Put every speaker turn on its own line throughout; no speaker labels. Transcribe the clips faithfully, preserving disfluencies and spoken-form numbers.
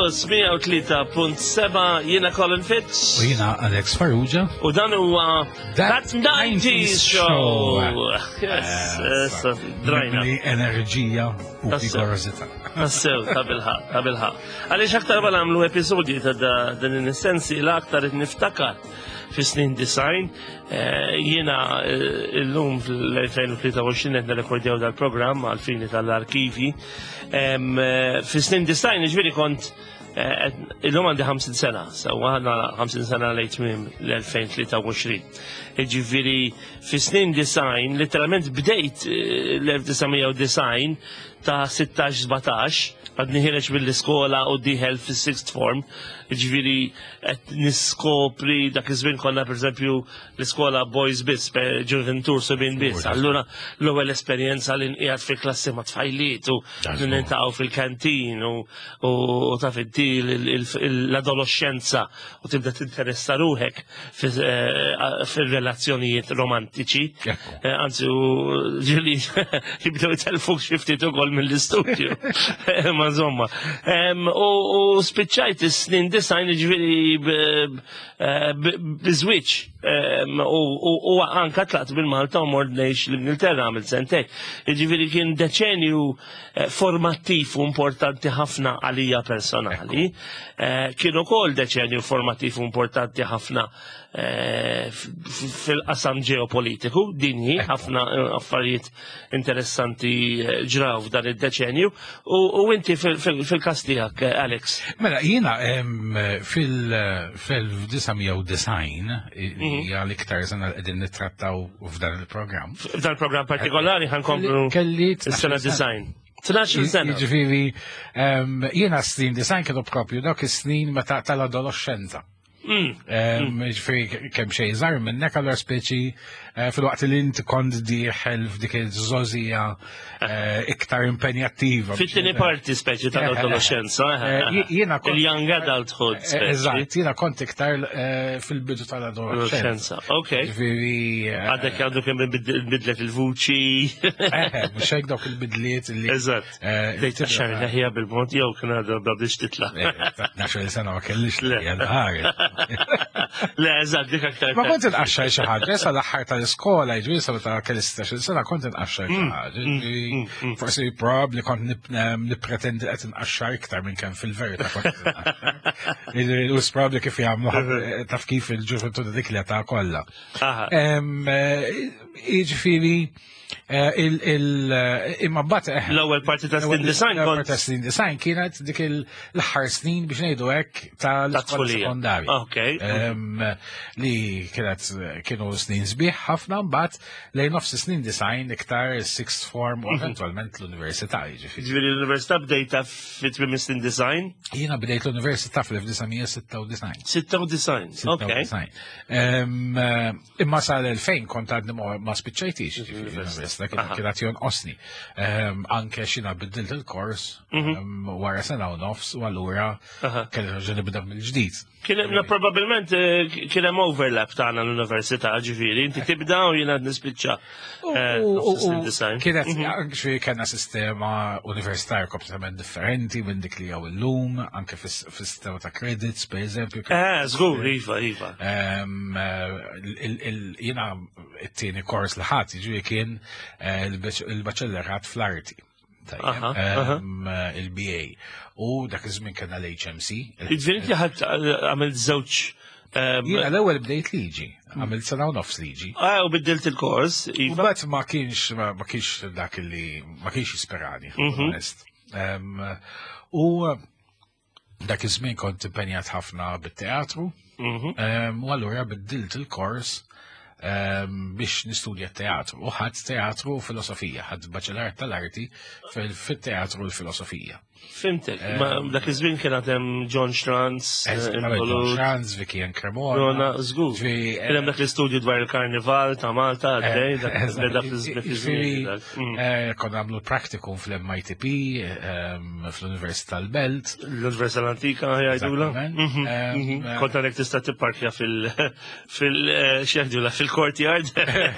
Campus mija u tlieta punt seba', jiena Colin Fitz.
U jiena Alex Farrugia.
U dan huwa
That
That nineties Show. Yes, issa drajna.
Mimli enerġija u
Tassew.
vigorosità.
Tassew, ta' bilħaqq, ta' bilħaqq. Għaliex aktar ma nagħmlu episodji ta' da- din is-sensi, l-aktar qed niftakar fi snin disgħin. eh, Jiena eh, illum fl-elfejn u tlieta u għoxrin qed nirrekordjaw dal-programm għal-fini tal-arkivi. Em, eh, Fi snin disgħin, ġifieri kont eh, illum għandi ħamsin sena, so għandna ħamsin sena lejn tmiem l-elfejn u tlieta u għoxrin. Ġifieri, fi snin disgħin, literalment bdejt eh, l-elf disa' mija u disgħin ta' sittax sbatax, għadni ħiereġ mill-iskola u dieħel fis-sixth form, ġifieri qed niskopri dak iż-żmien konna, pereżempju, l-iskola boys biss, ġuventur subien biss. Allura l-ewwel esperjenza li nqiegħed fi klassi ma' tfajliet u
Dażgur.
niltaqgħu fil-kantin u u taf inti l-adolescenza u tibda tinteressa ruħek fi- eh, fil-relazzjonijiet romantiċi.
Ekku.
Eh, Anzi, u ġieli jibdew jtelfuk xi ftit ukoll mill-istudju. Ma insomma. Em, U u spiċċajt is-snin disgħin, ġifieri biżwiġ. U u anka tlaqt bil-Malta u mort ngħix l-Ingilterra, għamil sentejn. Ġifieri kien deċenju eh, formattiv u importanti ħafna għalija personali. Eh, Kien ukoll deċenju formattiv u importanti ħafna eh, f- f- fil-qasam ġeopolitiku, dinji, ħafna eh, affarijiet interessanti eh, ġraw f'dan id-deċenju. U u inti fil- fil- fil-kas tiegħek, eh, Alex.
Mela, jiena em, fil-elf disa' mija u disgħin, hija l-iktar sena li qegħdin nittrattaw f'dan il-programm.
F'dan il-programm partikolari ħa nkomplu
Kelli
is-sena disgħin. tnax-il sena.
Jiġifieri, em, jiena snin disgħin kienu propju dawk is-snin meta tal-adolescenza.
Mm.
Em, Ġifieri kemm xejn żgħar minnek, allura speċi eh, filwaqt li inti kont dieħel f'dik iż-żgħożija eh, iktar impenjattiva.
Fit-tieni parti speċi tal-adolescenza.
Eh, jiena kont-
Il-young adulthood
Eh,
speċi.
Eżatt, jiena kont iktar eh, fil-bidu tal-adolescenza.
Adolescenza, ok.
Ġifieri. eh,
Għadek għandu kemm bidlet il-vuċi.
Eh, mhux hekk, dawk il-bidliet li.
Eżatt.
eh,
Dejt xar leħja bil-mod jew kien għadha biex titla'.
Eh, tnax-il sena ma kellix
Le.
leħja nħares.
Le, eżatt, dik aktar.
Ma kont inqaxxar xi ħaġa, sa l-aħħar tal-iskola, jiġifieri sa meta kelli sittax-il sena kont inqaxxar xi ħaġa. Ġifieri, forsi probabbli kont nip- em, nippretendi qed inqaxxar iktar minn kemm fil-verità kont inqaxxar. Jiġifieri, u probabbli kif jagħmlu, taf kif, il-ġuventu dik li ta' kollha.
Aha.
Em, eh, Jiġifieri, eh, il- il- eh, imma mbagħad eh,
L-ewwel parti ta' snin disgħin
L-ewwel
kont
parti ta' snin disgħin kienet dik l-aħħar snin, biex ngħidu hekk, tal-iskola
tfulija.
sekondarja.
Ok.
Em, li kienet kienu snin sbieħ ħafna. Mbagħad lejn nofs snin disgħin iktar sixth form u eventwalment l-università, jiġifieri.
Ġifieri l-università bdejta fit-tmiem snin disgħin?
Jiena bdejt l-università fl-elf disa' mija u sitta u disgħin.
sitta u disgħin. Ok.
sitta u disgħin. Em, eh, Imma sal-elfejn kont għadni ma ma spiċċajtix, ġifieri, l-università kien
Aha.
kienet jonqosni. Em, Anke xina biddilt il-kors em, wara sena u nofs u allura
Aha.
kelli nerġa' nibda mill-ġdid.
Kien hemm probabbilment eh, kien hemm overlap tagħna l-università, ġifieri, inti tibda u jiena nispiċċa. eh,
U- u-
nofs snin
u
disgħin.
Kienet, ġifieri kellna sistema universitarja kompletament differenti minn dik li hawn illum, anke fis- fis-sistema ta' credits, per eżempju.
Eh, żgur, iva, iva.
Em, eh, il- il- Jiena it-tieni kors li ħadt, ġifieri kien eh, il-baċellerat fl-arti. Tajjeb,
Aha, aha.
em, eh, il-B A. U dak iż-żmien kellna l-H M C.
Ġifieri inti ħadd għamilt żewġ ehm,
Jiena l-ewwel bdejt liġi, għamilt sena u nofs liġi.
Ah, u biddilt il-kors,
U
iva.
mbagħad ma kienx ma ma kienx dak li ma kienx jisperani,
Mhm.
onest. Em, U dak iż-żmien kont impenjat ħafna bit-teatru,
Mhm.
em, u allura biddilt il-kors em, biex nistudja teatru. U ħadt teatru u filosofija, ħadt baċellerat tal-arti fil- fit-teatru u l-filosofija.
Fhimtek, ma dak iż-żmien kien għad hemm John Schranz, eh,
John
involut.
Schranz, Vicky and Cremona.
Rona, żgur.
Ġifieri,
Kien hemm dak l-istudju dwar il-karnival ta' Malta, għaddej, dak beda
Ġifieri,
fiż-żmien. dak. Mm.
eh, konna għamlu practicum fl-M I T P, ehm, fl-Università tal-Belt.
L-Università l-Antika jgħidula.
Eżattament.
Mhm,
Ehm,
mhm.
eh,
Kont għandek tista' tipparkja fil- fil- eh, x'jgħidula, fil-courtyard.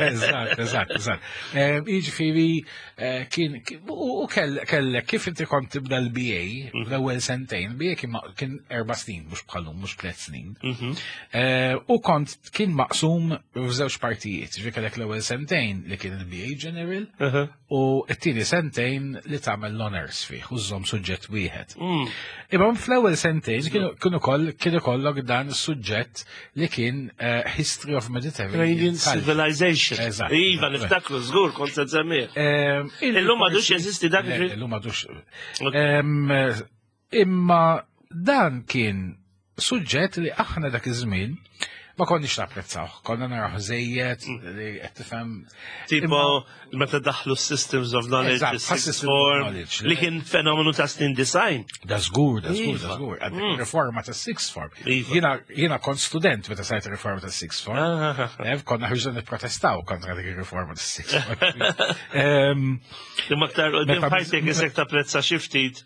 Eżatt, eżatt, eżatt. Ehm, Jiġifieri, eh, kien, kien- u u kell- kellek, kif inti kont tibda l il-B A, l-ewwel sentejn, B A kien ma- kien erba' snin, mhux bħal-lum, mhux tliet snin.
Mhm.
Eh, U kont kien maqsum f'żewġ partijiet, ġifieri kellek l-ewwel sentejn li kien il-B A General
Uh-huh.
u t-tieni sentejn li tagħmel l-honors fih u żżomm suġġett wieħed.
Mm.
Imma fl-ewwel sentejn kienu kienu koll kien ikollok dan is-suġġett li kien eh, History of Mediterranean
Mediterranean
Culture.
Civilization.
Eżatt.
Iva, niftakru, żgur, kont se nsemmih.
Ehm,
Illum m'għadux jeżisti dak
Le,
il-
Illum m'għadux.
Ok.
Ehm, Imma dan kien suġġett li aħna dak iż-żmien ma konniex napprezzaw. Konna naraw żejjed li qed tifhem.
Tipo, meta daħlu Systems of Knowledge,
Eżatt,
sixth
Systems of
form,
Knowledge.
li kien fenomenu ta' snin disgħin.
Da żgur, da żgur, da
Iva.
żgur. Għandek riforma ta' sixth form.
Iva.
Jiena jiena kont student meta sajt riforma ta' sixth form.
Ah,
Eh, Konna ħriġna nipprotestaw kontra dik ir-riforma ta' sixth form. Ehm,
Imma aktar qudiem
Meta-
ħajtek isek tapprezza xi ftit.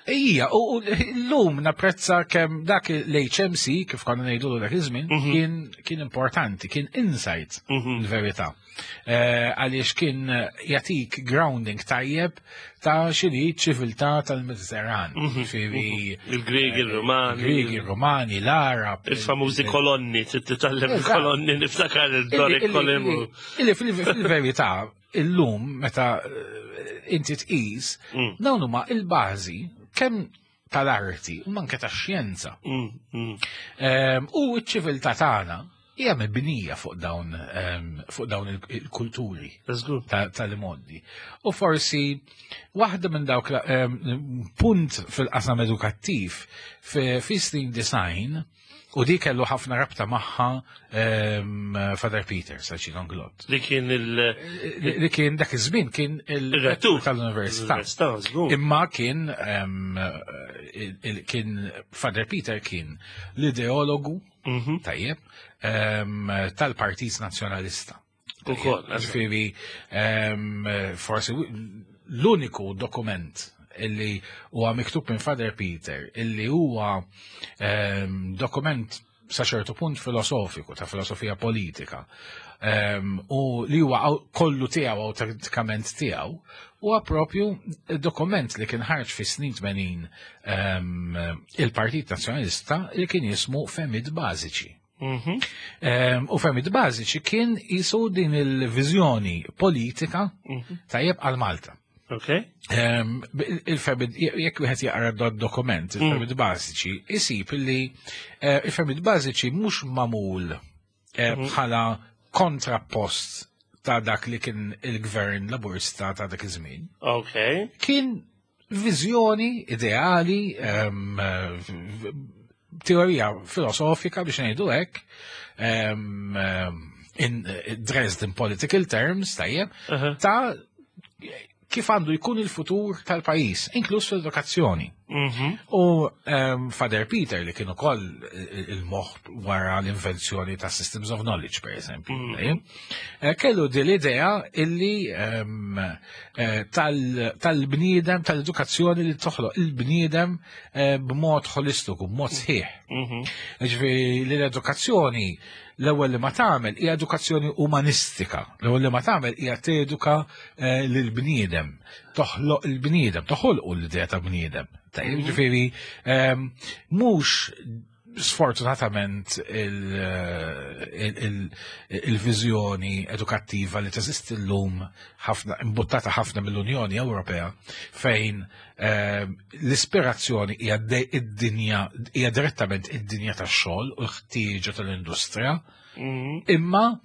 Ija, u u l-lum napprezza kemm dak l-H M C, kif konna ngħidu dak iż-żmien, kien kien importanti, kien insight il-verità. Eh, Għaliex kien jagħtik grounding tajjeb ta' x'inhi ċiviltà tal-Mediterran. Ġifieri
Il-Griegi, il-Romani.
Griegi, il-Romani, l-Arab.
Il-famużi kolonni, titgħallem
Eżatt.
il-kolonni, niftakar il-Doric
Illi-
column.
illi- Illi fil- fil-verità, illum, meta eh, inti tqis, dawn huma il-bażi kemm tal-arti u manke tax-xjenza.
Mm, mm.
Ehm, U ċ-ċiviltà tagħna hija mibnija fuq dawn ehm, fuq dawn il- il-kulturi
Żgur.
ta- tal-modi. U forsi waħda minn dawk la- ehm, punt fil-qasam edukattiv fi fi snin disgħin u di kellu ħafna rabta magħha ehm, Father Peter Sacino Glott.
Li kien il-
Li li kien dak iż-żmien kien
Il-rettur.
il-rettur tal-università.
L-università, żgur.
Imma kien ehm, il- il- kien Father Peter kien l-ideologu
Mhm.
tajjeb ehm, tal-Partit Nazzjonalista.
Ukoll,
Ġifieri, ehm, forsi l-uniku dokument illi huwa miktub minn Father Peter, illi huwa ehm, dokument sa ċertu punt filosofiku, ta' filosofija politika, ehm, u li huwa aw- kollu tiegħu, awtentikament tiegħu, huwa propju dokument li kien ħarġ fi snin tmenin ehm, il-Partit Nazzjonalista li kien jismu Fehmiet Bażiċi.
Mhm.
Ehm, U Fehmiet Bażiċi kien jisu din il-viżjoni politika tajjeb għal Malta.
Ok.
Ehm, Il-fehmiet, jekk wieħed jaqra d dokument, il-fehmiet bażiċi, isib li eh, il-fehmiet bażiċi mhux magħmul eh, bħala kontrapost ta' dak li kien il-gvern Laburista ta' dak iż-żmien.
Ok.
Kien viżjoni ideali, ehm, eh, teorija filosofika biex ngħidu hekk, ehm, ehm, in dressed in political terms, tajjeb,
Uh-huh.
ta' kif għandu jkun il-futur tal-pajjiż, inkluż fil-edukazzjoni.
Mhm.
U um, Father Peter li kien ukoll il-moħ wara l-invenzjoni ta' Systems of Knowledge, per eżempju, tajjeb, eh, kellu din l-idea illi um, eh, tal- tal-bniedem, tal-edukazzjoni li toħloq il-bniedem eh, b'mod holistiku, b'mod sħiħ.
Mhm.
Ġifieri li l-edukazzjoni l-ewwel li ma tagħmel hija edukazzjoni umanistika. L-ewwel li ma tagħmel hija teduka eh, lill-bniedem, toħloq il-bniedem, toħolqu l-idea ta' bniedem. Tajjeb, ġifieri ehm, mhux sfortunatament il- il- il- il-viżjoni edukattiva li teżisti llum ħafna imbuttata ħafna mill-Unjoni Ewropea fejn ehm, l-ispirazzjoni hija de- id-dinja hija direttament id-dinja tax-xogħol u l-ħtieġa tal-industrija,
Mhm.
imma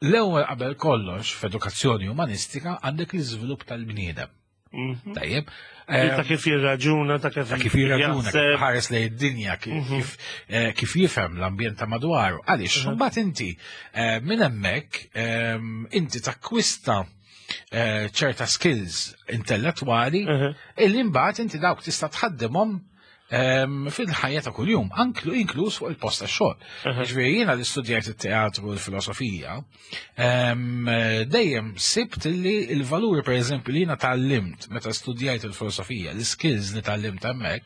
l-ewwel qabel kollox f'edukazzjoni umanistika għandek l-iżvilupp tal-bniedem.
Mhm.
Tajjeb.
Ta' kif jirraġuna, ta' kif
Ta' kif jirraġuna, kif
jaħseb.
ħares lejn id-dinja, kif, kif, eh, kif jifhem l-ambjent ta' madwaru. Għaliex, mbagħad inti eh, minn hemmhekk ehm, inti takkwista eh, ċerta skills intellettwali
Mhm.
illi mbagħad inti dawk tista' tħaddimhom ehm, fil-ħajja ta' kuljum, anklu inkluż fuq il-post ta' xogħol. Ġifieri jiena li studjajt it-teatru u l-filosofija, ehm, dejjem sibt li il-valuri pereżempju li jiena tgħallimt meta studjajt il-filosofija, l-skills li tgħallimt hemmhekk,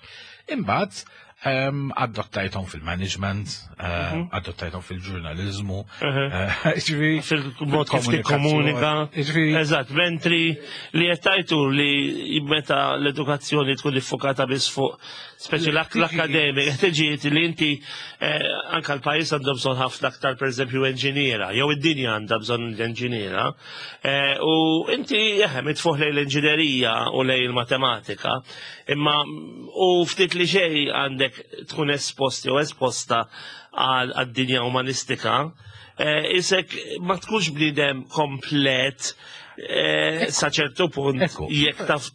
imbagħad Em, Adottajthom fil-management, eh, adottajthom fil-ġurnalizmu, eh, ġifieri
Fil-mod kif tikkomunika.
Ġifieri,
Eżatt, mentri li jettajtu li meta l-edukazzjoni tkun iffokata biss fuq speċi l-akademik, ħtiġijiet li inti eh, anka l-pajjiż għandu bżonn ħafna aktar pereżempju enġiniera, jew id-dinja għandha bżonn l-enġiniera, eh, u inti eħe mitfuħ lejn l-inġinerija u lejn il-matematika, imma u ftit li xejn għandek tkun esposti u esposta għal għad-dinja umanistika, eh, isek ma tkunx bniedem komplet eh, sa ċertu punt
Ekku.
jekk taf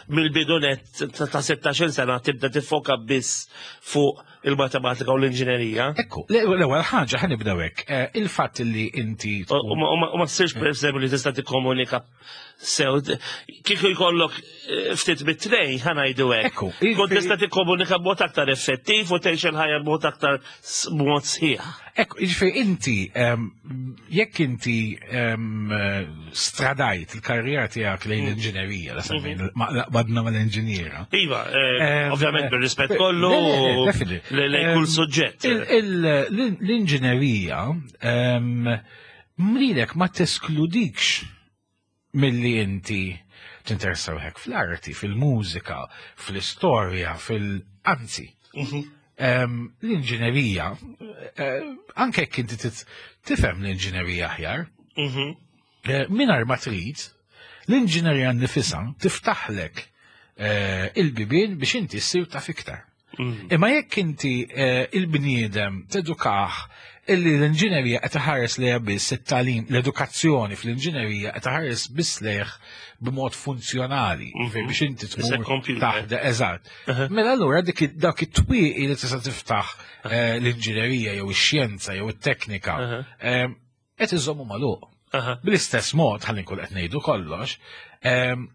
mill-bidunet ta' ta' sittax-il sena tibda tiffoka biss fuq il-matematika u l-inġinerija.
Ekku, l-ewwel ħaġa ħa nibdew hekk. Eh, Il-fatt li inti
U u ma- u ma u ma ssirx per eżempju li tista' tikkomunika sew. Kieku jkollok eh, ftit bit-tnejn ħa ngħidu hekk.
Ekku,
Kont tista' tikkomunika b'mod aktar effettiv u tgħix il-ħajja b'mod aktar s- b'mod sħiħ.
Ekku, jiġifieri inti, em, jekk inti em, eh, stradajt il-karriera tiegħek lejn l-inġinerija, la semmejna, ma- la- badna mal-inġiniera.
Iva, eh,
Em,
ovvjament
eh,
bir-rispett kollu
le, le, le, definitely.
le- lejn kull
Em,
suġġett.
il- il- l- L-inġinerija em, mrilek ma teskludikx milli inti tinteressa ruħek fl-arti, fil-mużika, fl-istorja, fil-anzi. Em, L-inġinerija, eh, anke jekk inti tit- tifhem l-inġinerija aħjar,
Mhm.
eh, mingħajr ma trid, l-inġinerija nifisha tiftaħlek eh, il-bibien biex inti ssir taf iktar.
Mhm.
Imma jekk inti eh, il-bniedem tedukah illi l-inġinerija qed iħares lejha biss it-tagħlim, l-edukazzjoni fl-inġinerija qed iħares biss lejh b'mod funzjonali,
Mhm.
biex inti
Isek
tmur
computer.
taħdem, eżatt. Mela allura dik id- dak it-twieqi li tista' tiftaħ eh, l-inġinerija jew ix-xjenza jew it-teknika
Aha.
eh, qed iżommu magħluq.
Aha.
Bl-istess mod, ħalli nkun qed ngħidu kollox, em,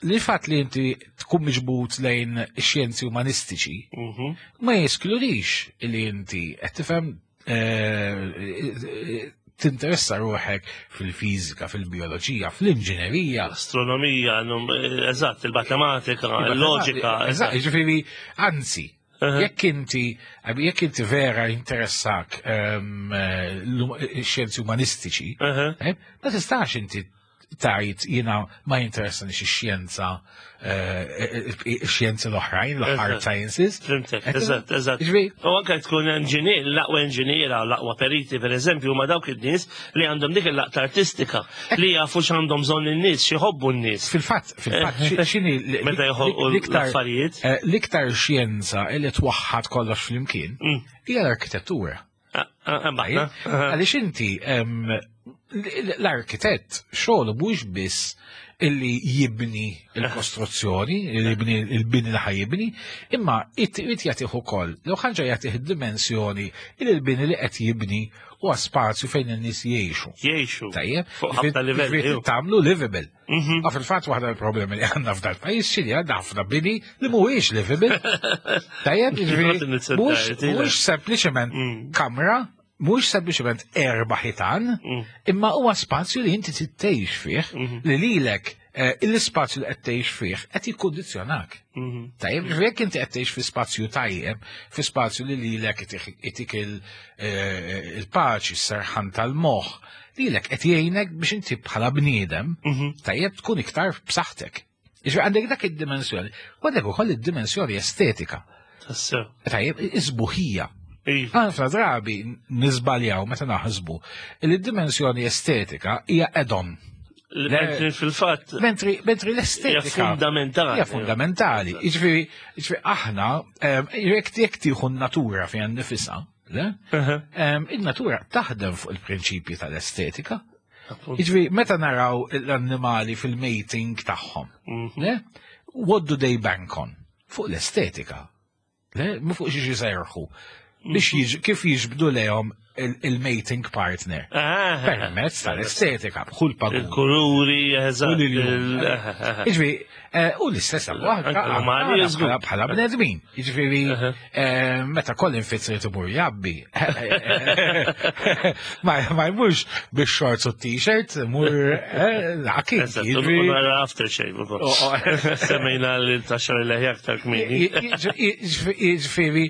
li fatt li inti tkun miġbut lejn ix-xjenzi umanistiċi
Mhm.
ma jeskludix li inti qed tifhem eh, tinteressa ruħek fil-fiżika, fil-bioloġija, fl-inġinerija.
Astronomija, num- eh, eżatt, il-matematika, il-loġika.
Eżatt, jiġifieri, anzi,
Aha.
jekk inti jekk inti vera interessak em, eh, l- ix-xjenzi umanistiċi,
Aha.
Eh, Ma tistax inti tajt jiena ma jinteressani ix-xjenza eh, ix-xjenzi l-oħrajn, l-hard
Eżatt.
sciences.
Fhimtek,
Qed
eżatt, eżatt.
Jiġifieri,
U anke tkun enġinier, l-aqwa enġiniera, l-aqwa periti, per eżempju, ma dawk in-nies li għandhom dik il-laqta artistika, li jafu x'għandhom bżonn in-nies, x'iħobbu n-nies.
Fil-fatt, fil-fatt, xi- x'inhi l-
Meta joħolqu
l-iktar
l-affarijiet.
eh, l-iktar xjenza li twaħħad kollox flimkien
Mm.
hija l-arkitettura.
Ah, ah, ah,
Għaliex inti em, l- l-arkitett xogħlu mhux biss illi jibni il-kostruzzjoni, illi jibni il-bini li ħajibni, imma it jagħtih ukoll, l ħaġa jagħtih id-dimensjoni illi l-bini li qed jibni huwa spazju fejn in-nies jgħixu.
Jgħixu.
Tajjeb,
Fuq ħafna livelli,
ġifieri
ju.
tagħmlu livable.
Mhm.
Ma fil-fatt waħda l-problemi li għandna f'dal pajjiż xili għandna ħafna bini li mhuwiex livable. Tajjeb, ġifieri,
Not in its
mhuwiex
entirety, le.
mhuwiex sempliċement
Mm.
kamra, mhuwiex sempliċement erba' ħitan,
Mm.
imma huwa spazju li inti tgħix fih,
Mhm.
li lilek eh, l-ispazju li qed tgħix fih qed jikkundizzjonak.
Mhm.
Tajjeb, ġifieri jekk inti qed tgħix fi spazju tajjeb, fi spazju li lilek itik- itik il- eh, il-paċi, s-serħan tal-moħħ, lilek qed jgħinek biex inti bħala bniedem
Mhm.
tajjeb tkun iktar b'saħħtek. Ġifieri għandek dak id-dimensjoni, u għandek ukoll id-dimensjoni estetika.
Tassew.
Tajjeb, isbuħija.
Iva.
Ħafna drabi niżbaljaw meta naħsbu li d-dimensjoni estetika hija add-on.
Mentri fil-fatt
Mentri, mentri
hija
l-estetika
fundamentali.
hija fundamentali. Jiġifieri, jiġifieri aħna em, jekk jekk tieħu n-natura fiha nifisha, le?
Aha.
Em, Il-natura taħdem fuq il-prinċipji tal-estetika.
Appunt.
Jiġifieri meta naraw l-annimali fil-mating tagħhom,
Mhm.
le? What do they bank on? Fuq l-estetika. Le? Mu fuq xi jiserħu. Biex jiġ, kif jiġbdu lejhom il-mating partner.
Ah,
Permezz tal-estetika, bħul pagun.
Il-kuluri, eżatt.
U l-iljun.
il- eh, eh,
Jiġifieri, eh, u l-istess
Anke l-umani, żgur.
bħala bħala bnedmin. Jiġifieri, eh, meta Colin Fitz irid imur jabbi, ma ma jmurx bix-shorts u t-t-shirt, mur akid.
Eżatt, u nara aftershave ukoll.
Oh, oh.
Semmejna l-taxxar il-leħja aktar kmieni.
Jiġifieri,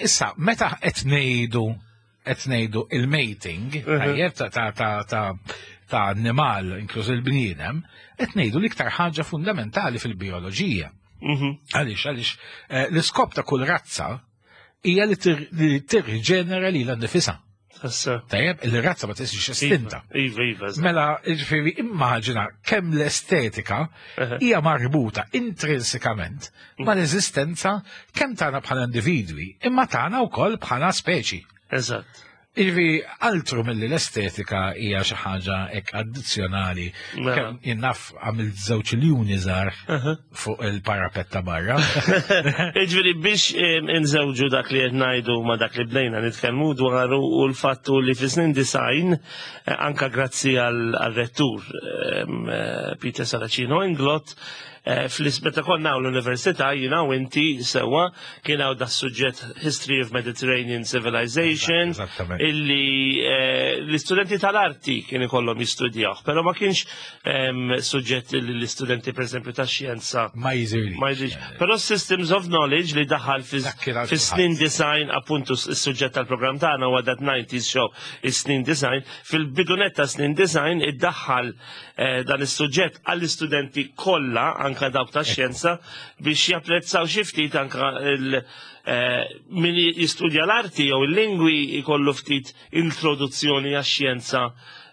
issa, meta qed ngħidu qed ngħidu il-mating, tajjeb ta' ta' ta' ta' ta' annimal, inkluż il-bniedem, qed ngħidu l-iktar ħaġa fundamentali fil-bioloġija.
Mhm.
Għaliex, għaliex, eh, l-iskop ta' kull razza hija li tir- li tirriġenera lilha nnifisha.
Issa.
Tajjeb, il-razza ma tiġix estinta.
Iva, iva, eżatt.
Mela, ġifieri, immaġina kemm l-estetika hija marbuta intrinsikament ma l-eżistenza kemm tagħna bħala individwi, imma tagħna wkoll bħala speċi.
Eżatt.
Ġifieri, altru milli l-estetika hija xi ħaġa hekk addizzjonali.
Mela.
Kemm jien naf għamilt żewġ iljuni żgħar fuq il-parapet ta' barra.
Iġveri biex em, inżewġu dak li qed ngħidu ma dak li bdejna nitkellmu dwaru u l-fattu li fi snin disgħin eh, anka grazzi għal rettur em, eh, Peter Saracino Inglott eh, fl-meta konna l-università jiena u inti sewa kien hawn da suġġett History of Mediterranean Civilization
Eżattament.
illi eh, l-istudenti tal-arti kien ikollhom jistudjaw, però ma kienx em, suġġett li l-istudenti per esempio tax-xjenza
Ma jizirli.
ma jidhirx. Però Systems of Knowledge li daħal
Dak kien għal
fi snin disgħin, appuntu s-suġġett tal-programm tagħna huwa That nineties Show, is-snin disgħin, fil-bidu nett ta' snin disgħin iddaħħal eh, dan is-suġġett għall-istudenti kollha, anka dawk ta' xjenza, biex japprezzaw xi ftit anka il- eh, min jistudja l-arti jew il-lingwi jkollu ftit introduzzjoni għax-xjenza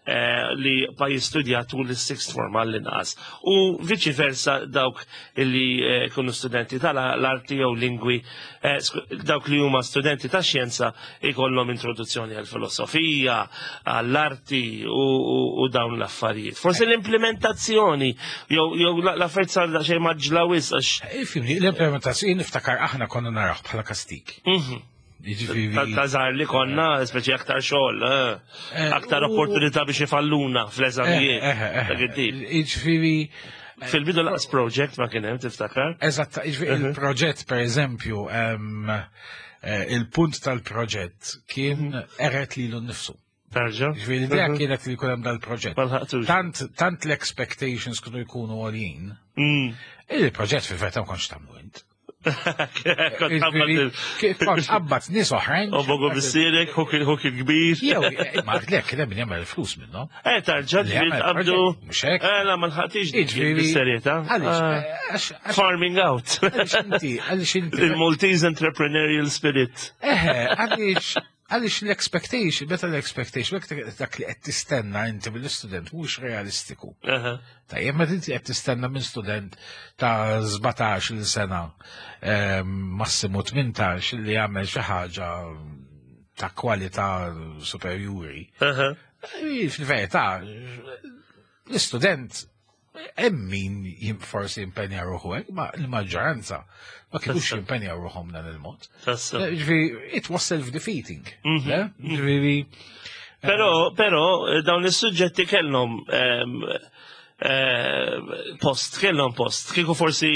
eh, li pa jistudja tul is-sixth form għall-inqas. U viċi versa dawk li eh, kunu studenti tal-arti jew lingwi, eh, sku- dawk li huma studenti ta' xjenza ikollhom introduzzjoni għall-filosofija, għall-arti u, u, u dawn l-affarijiet. Forsi l-implementazzjoni jew jew l-affarijiet sar xejn maġla wisq għax
Ifhimni, l-implementazzjoni niftakar aħna konna naraw bħala kastik.
Mhm.
Jiġifieri.
Ta' ta' żgħar li konna, speċi aktar xogħol, eh,
Eh,
aktar
u-
opportunità biex ifalluna fl-eżamijiet.
Eh, eh, eh,
Dak it-tip.
Jiġifieri,
Fil-bidu laqas project ma kien hemm, tiftakar?
Eżatt, jiġifieri il-proġett per eżempju, em, eh, il-punt tal-proġett kien qered lilu nnifsu.
Tarġa?
Ġifieri l-idea kienet li jkun hemm dal-proġett.
Ma lħaqtux.
Tant, tant l-expectations kienu jkunu għoljin,
Mm.
il-proġett fil-verità ma kontx tagħmlu int.
Kont qabad il-
Ġifieri, kont qabbat nies oħrajn.
U bogu bissirek, huk il-kbir.
Jew, ma lek, kien hemm min jagħmel il-flus minnhom.
Eh, tarġa,
Li
ġifieri
jagħmel
tqabdu.
proġett, mhux hekk.
Eh, la, ma lħaqtix
Jiġifieri-
bis-serjetà.
Għaliex,
Ah.
eh, għax- għax-
Farming out.
għaliex inti, għaliex inti.
Il-Maltese entrepreneurial spirit.
Eħe, għaliex, għaliex l-expectation, meta l-expectation, dak li qed tistenna inti mill-istudent mhux realistiku.
Aha.
Tajjeb, meta inti qed tistenna minn student ta' sbatax-il sena, ehm, massimu tmintax, li jagħmel xi ħaġa ta' kwalità superjuri.
Aha.
Eh, Fil-verità, l-istudent hemm min jim- forsi jimpenja ruħu hekk, ma l-maġġoranza ma kienux jimpenja ruħhom dan il-mod.
Tassew.
Ġifieri, it was self-defeating. Le? Ġifieri,
Però, però, eh, dawn is-suġġetti kellhom ehm, eh, post, kellhom post. Kieku forsi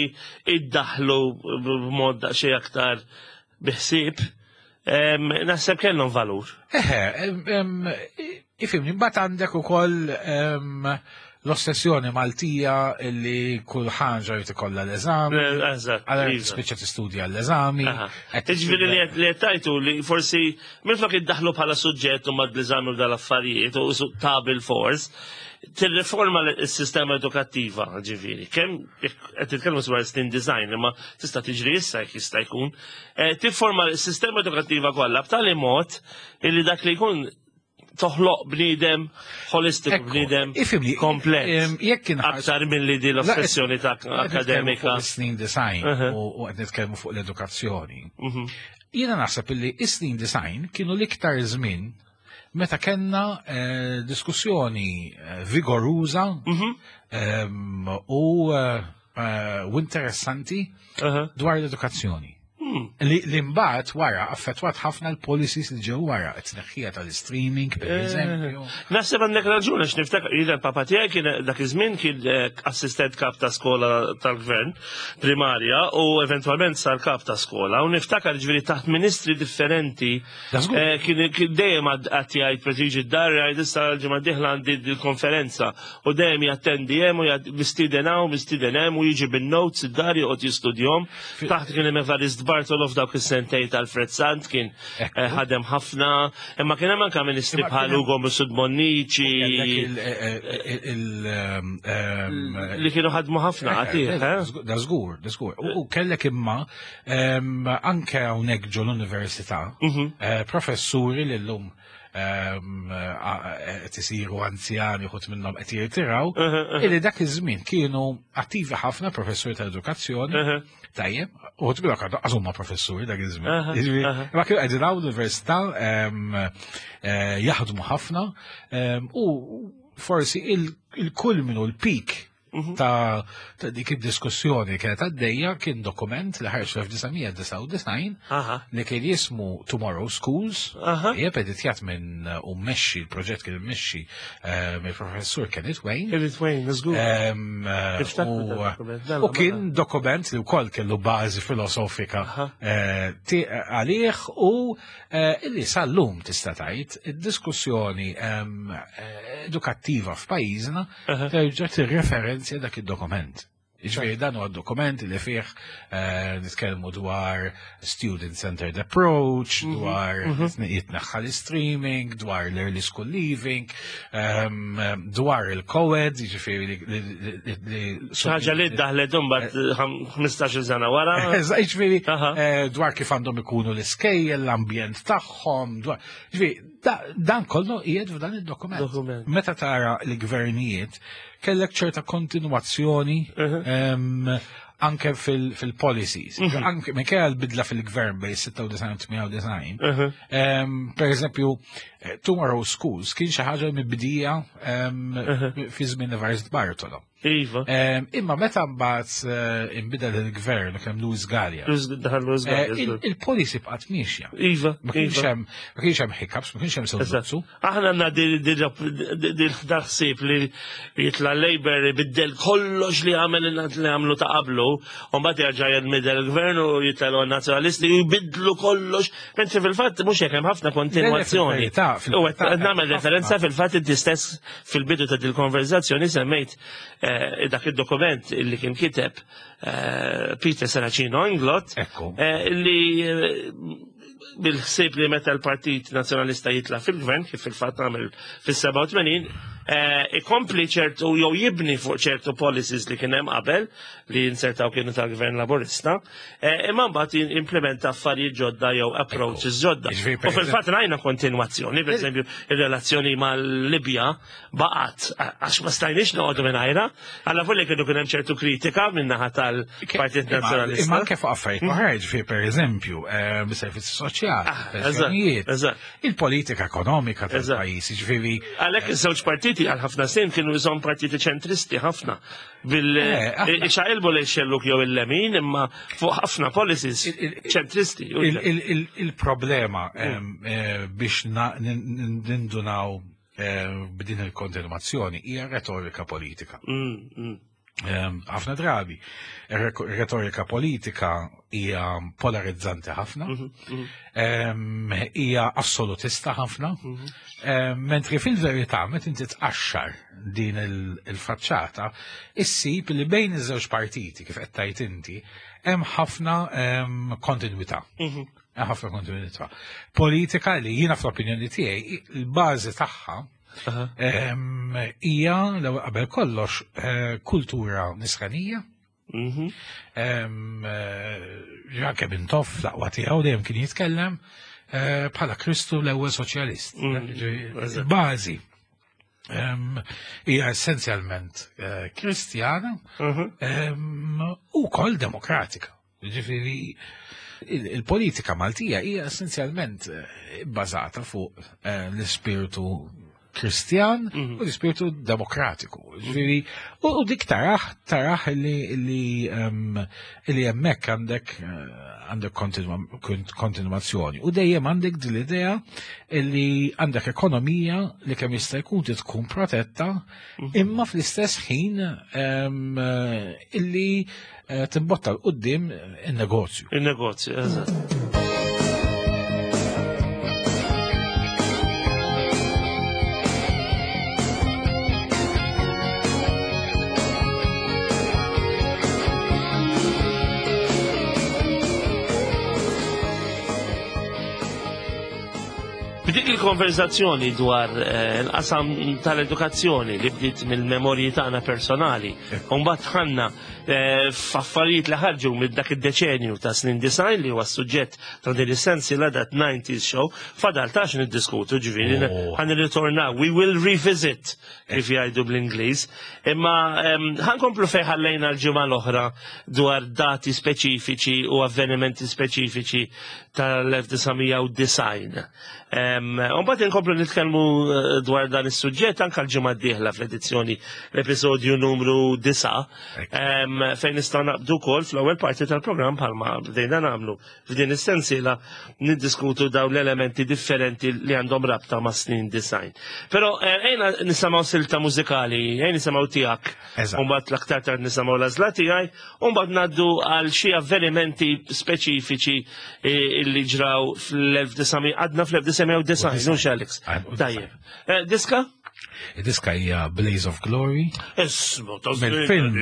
iddaħlu b'mod daqsxejn aktar biħsieb, ehm, naħseb kellhom valur.
Eħe, em, em, ifhimni, mbagħad għandek ukoll em, l-ossessjoni Maltija illi kull ħaġa jrid ikollha l-eżami.
Eh, Eżatt.
Għalhekk
iva.
spiċċa tistudja l-eżami.
Aha.
qed
Ġifieri li
tistudja-
li tajtu li forsi minflok iddaħlu bħala suġġett u mad l-eżami u dal-affarijiet u su ta' bil-fors, tirriforma s-sistema edukattiva, ġifieri. Kemm qed titkellmu dwar snin disgħin, imma tista' tiġri issa jekk jista' jkun. Eh, Tifforma s-sistema edukattiva kollha b'tali mod illi dak li jkun toħloq bniedem holistiku,
Ekku,
bniedem
ifhimni,
komplet.
em, jekk inħarsu-
Aktar milli di l-ossessjoni ta'
Qed nitkellmu
akademika.
fuq is-snin disgħin
Uh-huh.
u u qed nitkellmu fuq l-edukazzjoni.
Mhm.
Jiena naħseb illi is-snin disgħin kienu l-iktar żmien meta kellna eh, diskussjoni eh, vigoruża
Mhm.
em, u eh, eh, u interessanti
Aha.
dwar l-edukazzjoni. Li li mbagħad wara affettwat ħafna l-policies li ġew wara, it-tneħħija tal-streaming, per eżempju.
Naħseb għandek raġun, għax niftakar, jiena l-papa tiegħi kien dak iż-żmien kien eh, assistent kap ta' skola tal-gvern primarja u eventwalment sar kap ta' skola, u niftakar, ġifieri, taħt ministri differenti
Da żgur.
eh, kien kien dejjem għad għad jgħid, preżiġi d-dar, jgħid: "Issa l-ġimgħa dieħla għandi il-konferenza", u dejjem jattendi hemm u jgħid mistieden hawn, mistieden hemm, u jiġi bin-notes id-dar, joqgħod jistudjahom. Taħt kien hemm Evarist Bartolo f'dawk is-sentej tal-Fred Sant kien
Ekku.
eh, ħadem ħafna, imma kien hemm anke ministri
Imma
bħal
kien hemm-
Ugo Mifsud Bonnici
Kellek il- il- il- ehm, ehm,
li kienu ħadmu ħafna għatih, eh?
Da żgur, da żgur. U u kellek imma ehm, anke hawnhekk ġo l-università
Mhm.
eh, professuri li llum ehm, eh, qed isiru anzjani, uħud minnhom qed jirtiraw, illi dak iż-żmien kienu attivi ħafna, professuri ta' edukazzjoni,
Uh-huh.
tajjeb, uħud minnhom għadu huma professuri dak iż-żmien.
Aha,
Jiġifieri,
aha.
ma kienu qegħdin hawn l-università ehm, eh, jaħdmu ħafna ehm, u forsi il- il-kulminu, l-peak
Mhm.
ta' ta' dik id-diskussjoni kienet għaddejja kien dokument li ħareġ fl-elf disa' mija disgħa u disgħin
Aha.
li kien jismu Tomorrow Schools,
Aha.
jeb editjat minn u mmexxi, il-proġett kien mmexxi eh, mill-professur Kenneth Wayne.
Kenneth Wayne, żgur.
Em, eh,
Niftakru
u-
dal-dokument, mela,
U kien dokument li wkoll kellu bażi filosofika
Aha.
eh, ti- għalih u eh, illi sal-lum tista' tgħid id-diskussjoni em, eh, edukattiva f'pajjiżna
Aha.
terġa' tirreferenzja dak id-dokument. Jiġifieri dan huwa dokument li fih eh, nitkellmu dwar student-centered approach,
Mhm,
dwar jitneħħa l-streaming, dwar l-early school leaving, ehm, dwar il-co-ed, jiġifieri li- li- li- li-
Ħaġa li daħlet imbagħad ħmistax-il sena wara.
Eżatt, jiġifieri
Aha.
eh, dwar kif għandhom ikunu l-iskejjel, l-ambjent tagħhom, dwar. Jiġifieri, da- dan kollu qiegħed f'dan id-dokument.
Dokument.
Meta tara l-gvernijiet, kellek ċerta kontinuazzjoni
Uh-huh.
em, anke fil- fil-policies.
Mhm.
Anke minkejja l-bidla fil-gvern bejn sitta u disgħin u tmienja u disgħin.
Uh-huh.
em, Per eżempju, eh, Tomorrow Schools kien xi ħaġa mibdija em,
Uh-huh.
fi żmien Evarist Bartolo.
Iva.
Em, Imma meta mbagħad eh, inbidel il-gvern u kemm Louis Galea,
Daħal Louis
eh,
Galea,
il-
żgur.
il-policy bqgħet miexja.
Iva,
Ma kienx
iva.
hemm ma kienx hemm hiccups, ma kienx hemm soluzzju.
Aħna għandna dil-ħsieb li jitla Labour ibiddel kollox li għamel li għamlu ta' qablu, u mbagħad jerġa' jinbidel il-gvern u jitla nazzjonalisti u jbiddlu kollox. Mentri fil-fatt mhux hekk, hemm ħafna kontinwazzjoni.
Le, le, fil-verità,
U
fil-verità,
qed nagħmel
ħafna.
referenza, fil-fatt inti stess fil-bidu ta' dil-konverzazzjoni semmejt eh, dak id-dokument li kien kiteb eh, Peter Serracino Inglott
Ekku.
eh, li eh, bil-ħsieb li meta l-Partit Nazzjonalista jitla fil-gvern, kif fil-fatt għamel fis-sebgħa u tmenin, eh, ikompli ċertu jew jibni fuq ċertu policies li kien hemm qabel li insertaw kienu tal-gvern Laburista, eh, imma mbagħad implementa affarijiet ġodda jew approaches ġodda.
Jiġifieri,
U
per
fil-fatt rajna kontinwazzjoni, per eżempju, ir-relazzjoni mal-Libja baqgħet għax ma stajniex noqogħdu mingħajrha, għalla volja kienu kien hemm ċertu kritika min-naħa tal-Partit
Imma
Nazzjonalista.
imma anke fuq affarijiet oħra, ġifieri per eżempju, eh, bis-servizzi soċjali,
Ah,
pensjonijiet,
eżatt, eżatt.
il-politika ekonomika
Eżatt.
tal-pajjiż, jiġifieri
Għalhekk iż-żewġ partiti għal ħafna snin kienu jżomm partiti ċentristi ħafna. Bil
Eh, aħna-
ixaqilbu li xelluk jew il-lemin, imma fuq ħafna policies
Il- il-
ċentristi.
il- il- il- il-problema em, eh, biex na- nin- nin- nindunaw eh, b'din il-kontinuazzjoni hija retorika politika.
Mm, mm.
Em, ħafna drabi, ir-retorika politika hija polarizzanti ħafna, em, hija assolutista ħafna, em, mentri fil-verità meta inti tqaxxar din il- il-faċċata, issib li bejn iż-żewġ partiti, kif qed tgħid inti, hemm ħafna em, kontinwità. Hemm ħafna kontinwità. Politika li jiena fl-opinjoni tiegħi il-bażi tagħha
Aha.
em, hija l qabel kollox eh, kultura nisranija.
Mhm.
Em, eh, Anke Mintoff l-aqwa tiegħu dejjem kien jitkellem eh, bħala Kristu l-ewwel soċjalist.
Mm,
Ġifieri, il-bażi em, hija essenzjalment eh, Kristjana
Mhm.
em, u kol demokratika. Ġifieri il- il-politika Maltija hija essenzjalment eh, bbażata fuq eh, l-ispirtu Kristjan u l-ispirtu demokratiku. Ġifieri, u u dik taraħ, taraħ li li em, li hemmhekk għandek eh, għandek kontinua- kont- kontinuazzjoni. U dejjem għandek din l-idea li għandek ekonomija li kemm jista' jkun trid tkun protetta, imma fl-istess ħin em, eh, illi eh, timbotta 'l quddiem in-negozju.
Il-negozju, eżatt. B'dik il-konverzazzjoni dwar eh, l-qasam tal-edukazzjoni li bdiet mill-memorji tagħna personali, u mbagħad ħanna eh, f'affarijiet li ħarġu minn dak id-deċenju ta' snin disgħin li huwa s-suġġett ta' din is-sensiela That nineties Show, fadal tax niddiskutu, ġifieri
Oh.
ħan nirritornaw, we will revisit, kif jgħidu bl-Ingliż. Imma em, ħankomplu fejn ħallejna l-ġimgħa l-oħra dwar dati speċifiċi u avvenimenti speċifiċi tal-elf disa' mija u disgħin. Mbagħad inkomplu nitkellmu eh, dwar dan is-suġġett anke l-ġimgħa d-dieħla fl-edizzjoni, l-episodju numru disgħa, em, fejn nistgħu naqbdu wkoll fl-ewwel parti tal-programm, bħalma bdejna nagħmlu f'din is-sensiela, niddiskutu dawn l-elementi differenti li għandhom rabta ma' snin disgħin. Però eh, ejna nisimgħu silta mużikali, ejna nisimgħu tiegħek.
Eżatt.
Mbagħad l-aktar tard nisimgħu l-għażla tiegħi, u mbagħad ngħaddu għal xi avvenimenti speċifiċi eh, illi ġraw fl-elf disa' mija, għadna fl-elf disa' mija u disgħin, mhux Alex?
Għad-
Tajjeb. Eh, Diska?
Id-diska hija Blaze of Glory.
Ismu, ta'
Mill-film,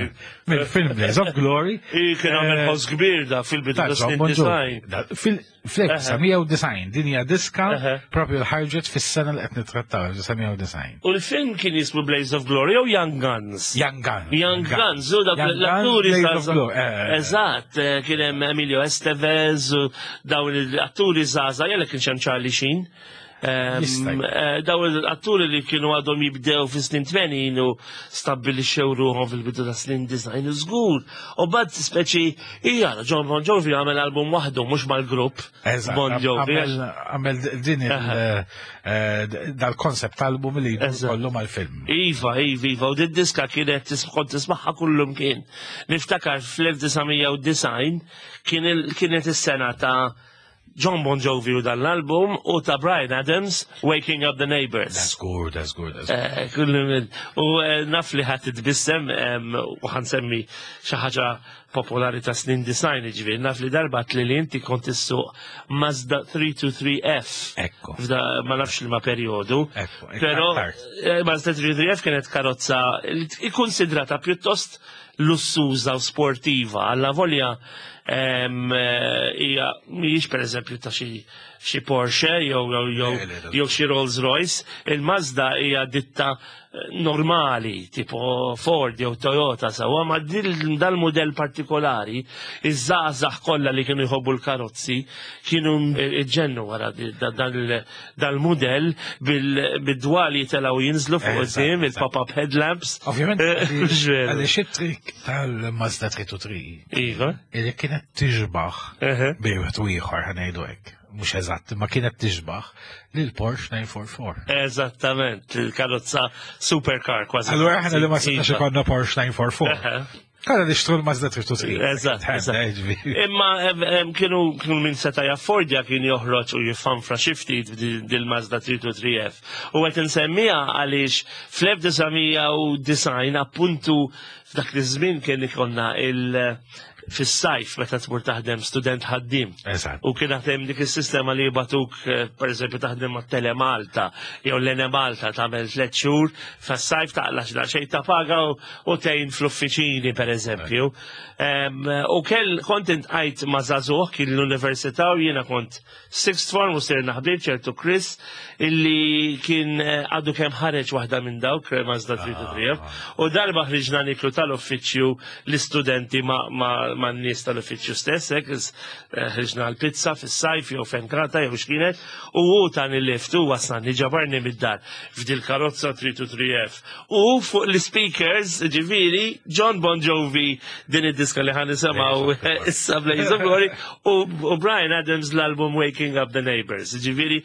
mill-film Blaze of Glory.
Kien għamel
Eh,
ħoss kbir da fil-bidu
ta'
ta'
John
snin
Bon Jovi.
disgħin.
Da- fil- Fl-elf disa' mija u disgħin, din hija diska
Eħe.
propju l-ħarġet fis-sena li qed nittrattaw, elf disa' mija u disgħin.
U l-film kien jismu Blaze of Glory jew Young Guns?
Young Guns.
Young Guns, u dak
Young Guns,
l-atturi
Blaze of
żgħażagħ.
Glory. eh, eh, eh.
Eżatt, eh, kien hemm Emilio Estevez u dawn l-atturi żgħażagħ, jella kien hemm Charlie Sheen. Ehm,
Jista' jkun.
eh, Dawn l-atturi li kienu għadhom jibdew fi snin tmenin u stabbilixxew ruħhom fil-bidu ta' snin disgħin żgur. U bad speċi, hija John Bon Jovi għamel album waħdu, mhux mal-grupp.
Eżatt,
Bon Jovi.
għamel għamel din il- eh, dal-concept album li
Eżatt.
kollu mal-film.
Iva, iva, iva, u din diska kienet tis- kont tismaħħa kullum kien. Niftakar fl-elf disa' mija u disgħin kien il- kienet is-sena ta' John Bon Jovi u dan l-album u ta' Bryan Adams, Waking Up the Neighbors.
That's good, that's good, that's good.
Eh, kullu minn- U eh, naf li ħat titbissem em, u ħansemmi xi ħaġa popolari ta' snin disgħin, ġifieri, naf li darba li li inti kont issuq Mazda tlieta tnejn tlieta F.
Ekku.
F'da ma nafx li ma periodu.
Ekku, ekku,
Pero
aktar.
eh, Mazda tlieta tnejn tlieta F kienet karozza li ikkonsidrata pjuttost lussuża u sportiva. Alla volja em, eh, hija mhijiex pereżempju ta' xi xi Porsche jew jew jew
Le, le, le.
jew xi Rolls Royce, il-Mazda hija ditta eh, normali, tipo Ford jew Toyota sawa, ma dil- dal-modell partikolari, iż-żgħażagħ kollha li kienu jħobbu l-karozzi kienu iġġennu wara di- da- dal- dal-modell bil-dwali telgħu jinżlu fuq
Eżatt,
quddiem,
eżatt.
il-pop-up headlamps.
Ovvjament,
Eh, mhux veru.
għaliex it-trik tal-Mazda tlieta tnejn tlieta
Iva.
illi kienet tiġbaħ
Eħe.
bejn wieħed u ieħor, ħa ngħidu hekk, mhux eżatt, ma kienet tiġbaħ lil Porsche tmien erba' erba.
Eżattament, il-karozza supercar kważi.
Allura aħna li ma setax
Iva.
ikollna Porsche tmien erba' erba.
Eħe.
Kalla nixtru l-Mazda tlieta tnejn tlieta.
Eżatt, eżatt. Imma em, em, kienu kienu min seta jaffordja kien joħroġ u jiffanfra xi ftit dil-Mazda tlieta tnejn tlieta F. U qed insemmija għaliex fl-elf disa' mija u disgħin, appuntu f'dak iż-żmien, kien ikonna il- fis-sajf meta tmur taħdem student ħaddim.
Eżatt.
U kien hemm dik is-sistema li jibatuk, eh, per eżempju, taħdem ma' Telemalta jew l-Enemalta, tagħmel tliet xhur fis-sajf, taqla xejn ta' paga u u tgħin fl-uffiċini, per eżempju. Em, U kell kont intqajt ma' żagħżugħ kien l-università u jiena kont sixth form u sirna ħbieb, ċertu Chris, illi kien eh, għadu kemm ħareġ waħda minn dawk Mazda tlieta tnejn tlieta, u darba ħriġna niklu tal-uffiċċju l-istudenti ma, ma, man-nies tal-uffiċċju stess, hekk ħriġna l-pizza fis-sajf jew fenkata jew x'kienet, u hu tani lift u wasalni ġabarni mid-dar f'dil karozza three two three F. U fuq l-speakers, ġifieri, John Bon Jovi din id-diska li ħan nisimgħu issa Blaze of Glory u Bryan Adams l-album Waking Up the Neighbors. Ġifieri,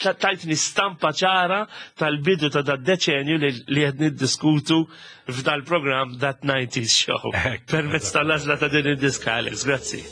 tajtni stampa ċara tal-bidu ta' dad-deċenju li qed niddiskutu f'dal-programm That nineties Show. Permezz tal-għażla ta' din id-diska, Alex, grazzi.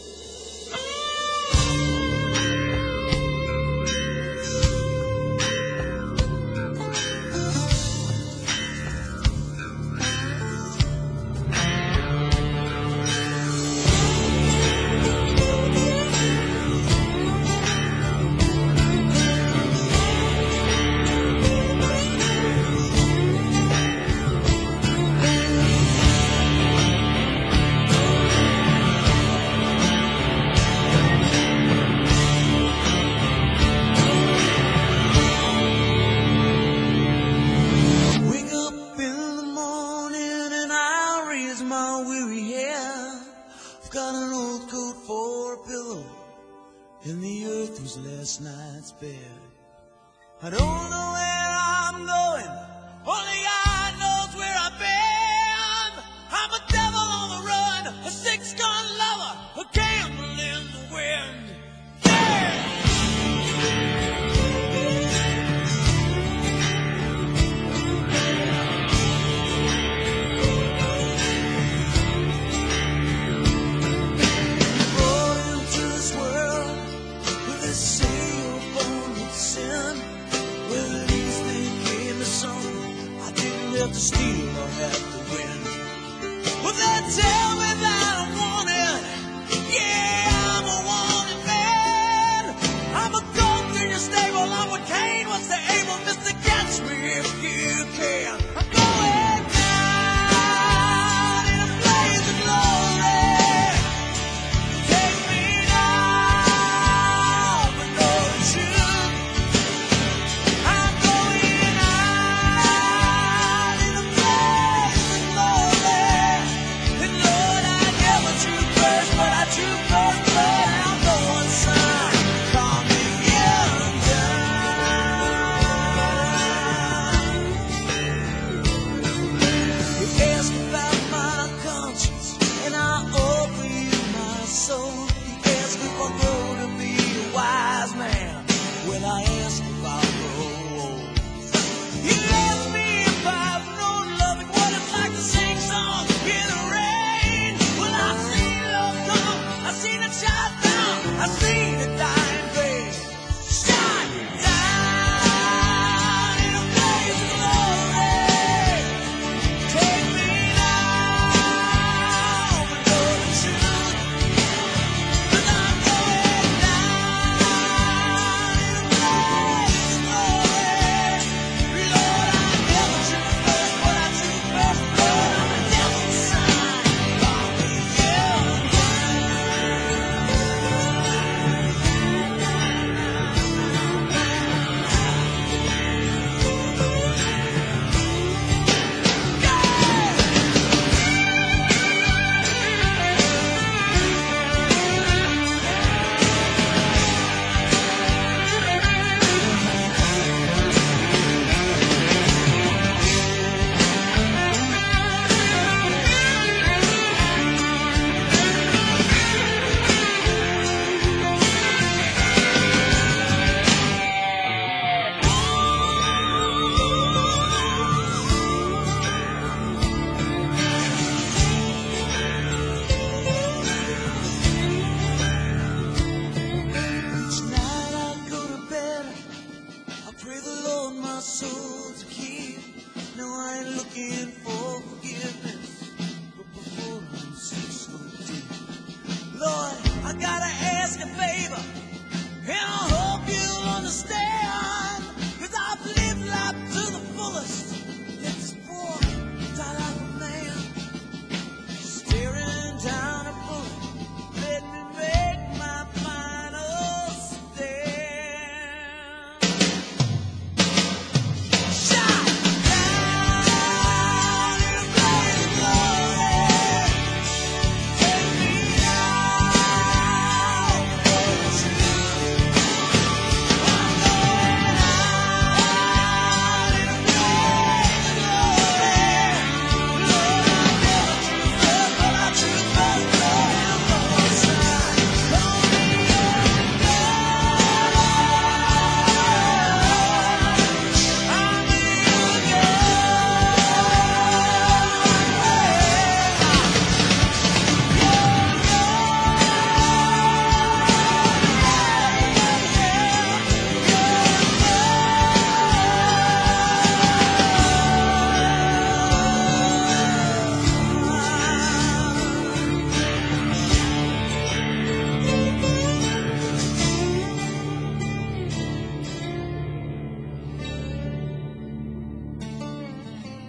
I don't know where I'm going, only God knows where I've been. I'm a devil on the run, a six-gun lover, a gamble in the wind. Yeah! Brought into this world with a sail born with sin. Well, at least they gave me something I didn't have to steal or have to win. Well, they tell me that I'm wanted. Yeah, I'm a wanted man. I'm a goat in your stable. I'm what Cain was to Abel. Mister, catch me if you can. I'm going down in a blaze of glory. Take me now, but no truth. I'm going out in a blaze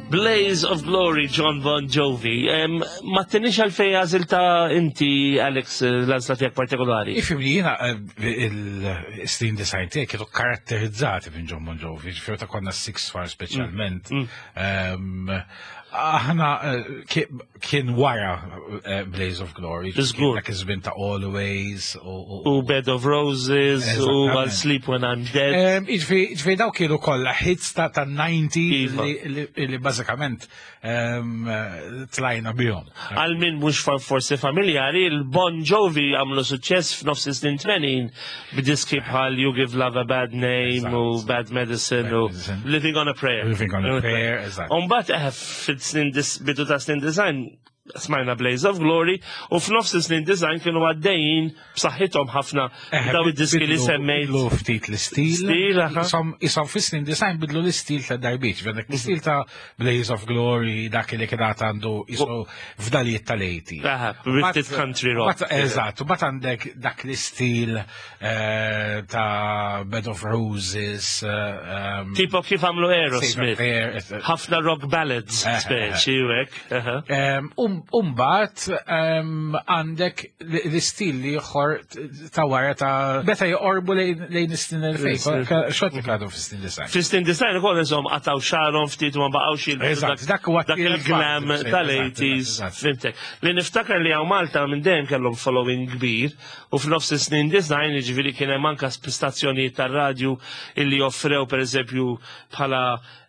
Blaze of Glory, Jon Bon Jovi. Em, Ma tinix għalfej għażiltha inti, Alex, l-għażla tiegħek partikolari.
Ifhimni, jiena il-snin disgħin tiegħi kienu karatterizzati minn Jon Bon Jovi, ġifieri ta' konna Sixth Form speċjalment. Em, Aħna eh, ki- kien wara eh, Blaze of Glory.
Żgur.
Dak iż-żmien ta' Always u- u
U Bed of Roses, u
Eżattament.
I'll Sleep When I'm Dead.
Em, Ġifieri, ġifieri daw kienu kollha hits ta' ta' disgħin
Iva.
li, li, li bażikament em, eh, tlajna bihom.
Għal min mhux fa- forsi familjari, il-Bon Jovi għamlu suċċess f'nofs is-snin tmenin b'diski bħal You Give Love a Bad Name u
Eżatt.
Bad Medicine
Bad
u
Medicine.
Living on a Prayer.
Living on a Prayer, eżatt.
Umbagħad eh, fil-snin dis- bidu ta' snin disgħin smajna Blaze of Glory u f'nofs is-snin disgħin kienu għaddejjin b'saħħithom ħafna
Eh,
daw id-diski li
bidlu-
semmejt.
Bidlu ftit l-istil.
Stil, aha.
Isom, isom fis-snin disgħin bidlu l-istil ta' darbiet. Dak l-istil ta' Blaze of Glory, dak li kien għad għandu isu fdalijiet tal-eighty.
Aha, ftit country rock.
Eżatt, u mbagħad għandek dak l-istil eh, ta' Bed of Roses. eh, um,
Tipo kif għamlu
Save a
Aerosmith.
Prayer, et-
Ħafna rock ballads,
Eh,
speċi, u hekk. aha.
Um, um, Umbagħad um, għandek l-istil li ieħor ta' wara ta' meta joqorbu lejn lejn is-snin elfejn. Xorta għadu fis-snin disgħin.
Fis-snin disgħin ukoll insomma qataw xagħarhom ftit u ma baqgħux jilbsu
Eżatt, dak huwa
dak il-glam
il-fatt,
tal-eighties.
eżatt, eżatt.
Fhimtek. Li niftakar li hawn Malta minn dejjem kellhom following kbir u f'nofs is-snin disgħin, jiġifieri, kien hemm anka stazzjonijiet tar-radju illi offrew, pereżempju, bħala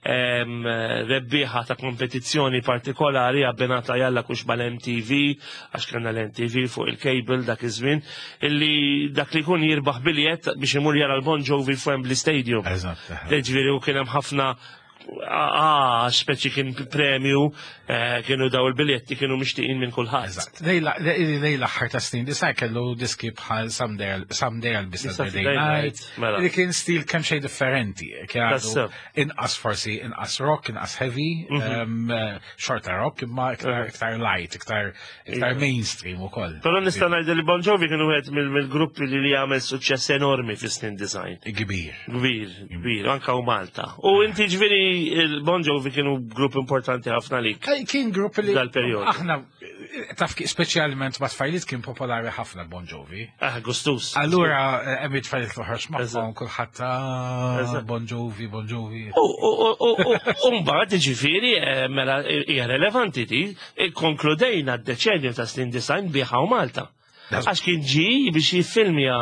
em, rebbieħa ta' kompetizzjoni partikolari abbinata jalla kux mal-M T V, għax kellna l-M T V fuq il-cable dak iż-żmien, illi dak li jkun jirbaħ biljett biex imur jara l-Bon Jovi f'Wembley Stadium.
Eżatt.
Ġifieri, u kien hemm ħafna, ah, speċi kien premju, eh, kienu daw il-biljetti kienu mixtieqin minn kulħadd.
Eżatt. Lejn l-aħħar ta' snin disgħin kellu diski bħal Someday Someday I'll Be Saturday
Saturday
Night.
Night, mela.
Li kien stil kemm xejn differenti. Kien għadu
Tassew.
inqas forsi inqas rock, inqas heavy, um, eh, xorta rock, imma iktar iktar light, iktar iktar mainstream ukoll.
Però nista' ngħid li Bon Jovi kienu wieħed mill- mill-gruppi li li għamel suċċess enormi fis-snin disgħin.
Kbir.
Kbir, kbir, anka u Malta. U inti, ġifieri, il-Bon Jovi kienu grupp importanti ħafna lik.
Eh, Kien grupp li
Dal-perjodu.
aħna taf ki- speċjalment ma' tfajliet kien popolari ħafna Bon Jovi.
Ah, gustus.
Allura hemm it-tfajliet toħroġ magħhom
Eżatt.
kulħadd, ah,
Eżatt.
Bon Jovi, Bon Jovi.
U u- u- u- u mbagħad, ġifieri, eh, mela hija relevanti di, konkludejna d-deċenju ta' snin disgħin biħa u Malta. Għax kien ġi biex jiffilmja,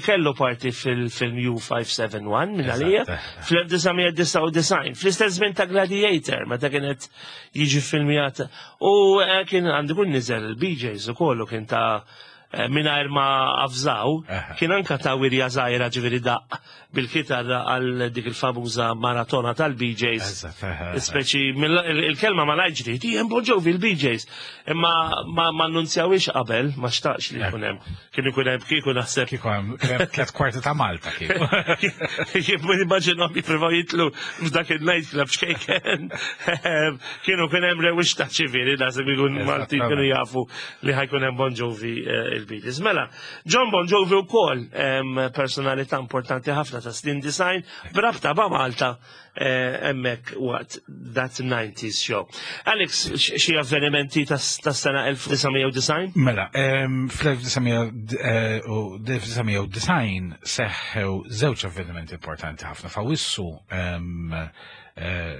kellu parti fil-film U five seven one minn għalija
Eżatt.
fl-elf disa' mija disgħa u disgħin, fl-istess żmien ta' Gladiator, meta kienet jiġi filmjat. U eh, kien għandu kun niżel il-B Js u kollu kien ta' eh, mingħajr ma avżaw,
Aha.
kien anka ta' wirja żgħira, ġifieri daqq bil-kitarra għal dik il-famuża maratona tal-B Js.
Eżatt, aha.
Speċi, mill- il- il-kelma ma lajġri, di jem Bon Jovi il-B Js. Imma ma ma annunzjawix qabel, ma xtaqx li jkun hemm. Kien ikun hemm kieku naħseb.
Kieku hemm kien hemm tliet kwarti ta' Malta kieku.
Kif immaġinhom jippruvaw jitlu f'dak il-night club xkejken. Kienu kien hemm rewix ta' ċivili, naħseb ikun Malti kienu jafu li ħa jkun hemm Bon Jovi, eh, il-B Js. Mela, Jon Bon Jovi wkoll em, personalità importanti ħafna ta' snin disgħin b'rabta ma' Malta eh, hemmhekk waqt That nineties Show. Alex, x- xi avvenimenti tas tas sena elf disa' mija disgħin?
Mela, em, fl-elf disa' mija disgħin seħħew żewġ avvenimenti importanti ħafna. F'Awwissu em, eh,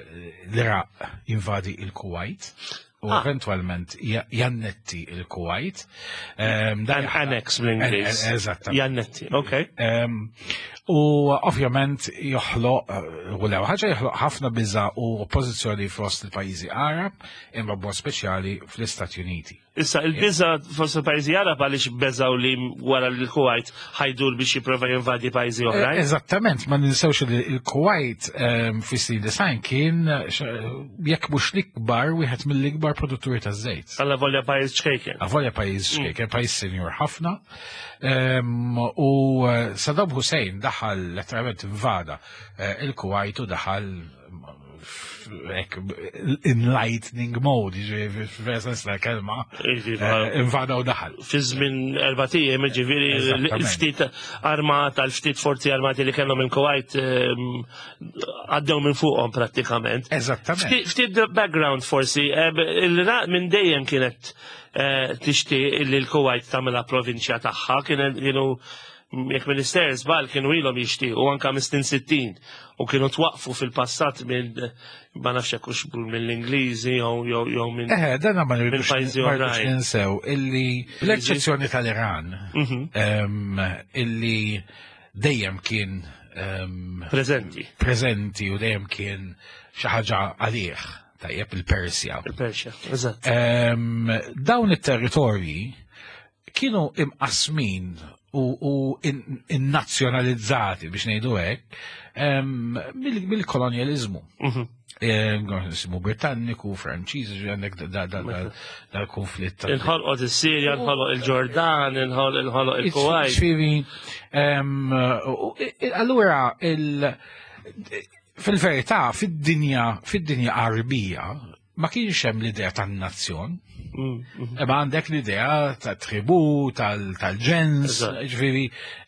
l-Iraq jinvadi il-Kuwait u
Ah.
eventualment ja- jannetti il-Kuwait. Em, dan
An annex bl-Ingliż.
Eżatt.
Jannetti, ok.
Em, U ovvjament joħloq, eh, u l ħaġa joħloq ħafna biża u oppożizzjoni fost il-pajjiżi Arab, imma b'mod speċjali fl-Istati Uniti.
Issa, il-biża fost il-pajjiżi Arab għaliex beżaw li wara li l-Kuwait ħa jdur biex jipprova jinvadi pajjiżi
Eh,
oħrajn?
Eżattament, ma ninsewx li il-Kuwait em, fis-snin disgħin kien eh, jekk mhux l-ikbar, wieħed mill-ikbar produtturi ta' żejt.
Alla volja pajjiż ċkejken.
Avolja pajjiż ċkejken, pajjiż senjur ħafna. Em, U eh, Saddam Hussein daħal, letteralment invada eh, il-Kuwait u daħal in lightning mode, jiġifieri f'sens tal-kelma, eh, invada u daħal.
Fi żmien erbat ijiem, ġifieri l-ftit armata, l-ftit forzi armati li kellhom il-Kuwait ehm, għaddew minn fuqhom prattikament.
Eżattament.
Ftit background forsi, il-Iraq minn dejjem kienet eh, tixtieq li l-Kuwait tagħmilha provinċja tagħha, kienu jekk minister żball kienu ilhom jixtiequ anke mis-snin sittin u kienu twaqfu fil-passat minn ma nafx hekk hux mill-Ingliżi jew jew minn
Eh, dan ma rridux ninsew illi l-eċċezzjoni tal-Iran mhm. illi dejjem kien
preżenti
preżenti u dejjem kien xi ħaġa għalih, tajjeb, il-Persja.
Il-Persja, eżatt.
Dawn it-territorji kienu imqasmin u, u innazzjonalizzati biex ngħidu hekk mill-kolonjalizmu. Mhm. Nisimu Britanniku, Franċiż, għandek dal-konflitt.
Inħolqot is-Sirja, inħolqot il-Ġordan, inħolqot il-Kuwait.
Ġifieri, allura fil-verità, fid-dinja, fid-dinja Arbija, ma kienx hemm l-idea tan-nazzjon. Imma għandek l-idea ta' tribu, tal-ġens, ġifieri.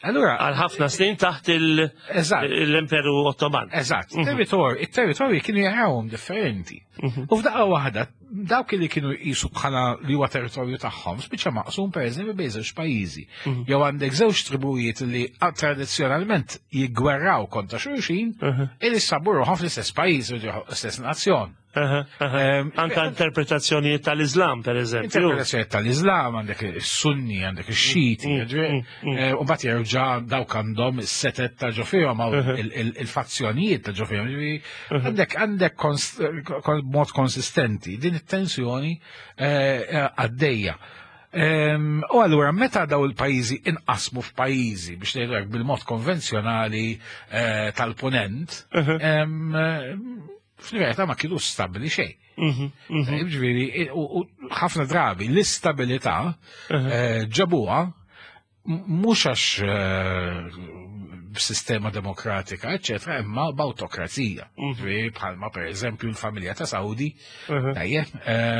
Allura
għal ħafna snin taħt l-Imperu Ottoman.
Eżatt, territorju, it-territorji kienu jarawhom differenti. U f'daqqa waħda, dawk li kienu jqisu bħala li huwa territorju tagħhom, spiċċa maqsum pereżempju bejn żewġ pajjiżi. Jew għandek żewġ tribujiet li tradizzjonalment jiggwerraw kontra xulxin, illi sabu ruħhom fl-istess pajjiż, l-istess nazzjon.
Anka interpretazzjonijiet tal-Islam, per eżempju.
Interpretazzjonijiet tal-Islam, għandek is-Sunni, għandek ix-Xiti, u mbagħad jerġa' dawk għandhom is-setet ta' ġo fihom il-fazzjonijiet ta' ġo fihom. Għandek għandek mod konsistenti din it-tensjoni għaddejja. U allura meta daw il-pajjiżi inqasmu f'pajjiżi biex ngħidu hekk bil-mod konvenzjonali tal-punent, fil-verità ma kienu stabili xejn. Ġifieri, u ħafna drabi l-istabilità ġabuha mhux għax b'sistema demokratika, eċċetera, imma b'awtokrazija. Ġifieri bħalma pereżempju l-familja ta' Saudi, tajjeb,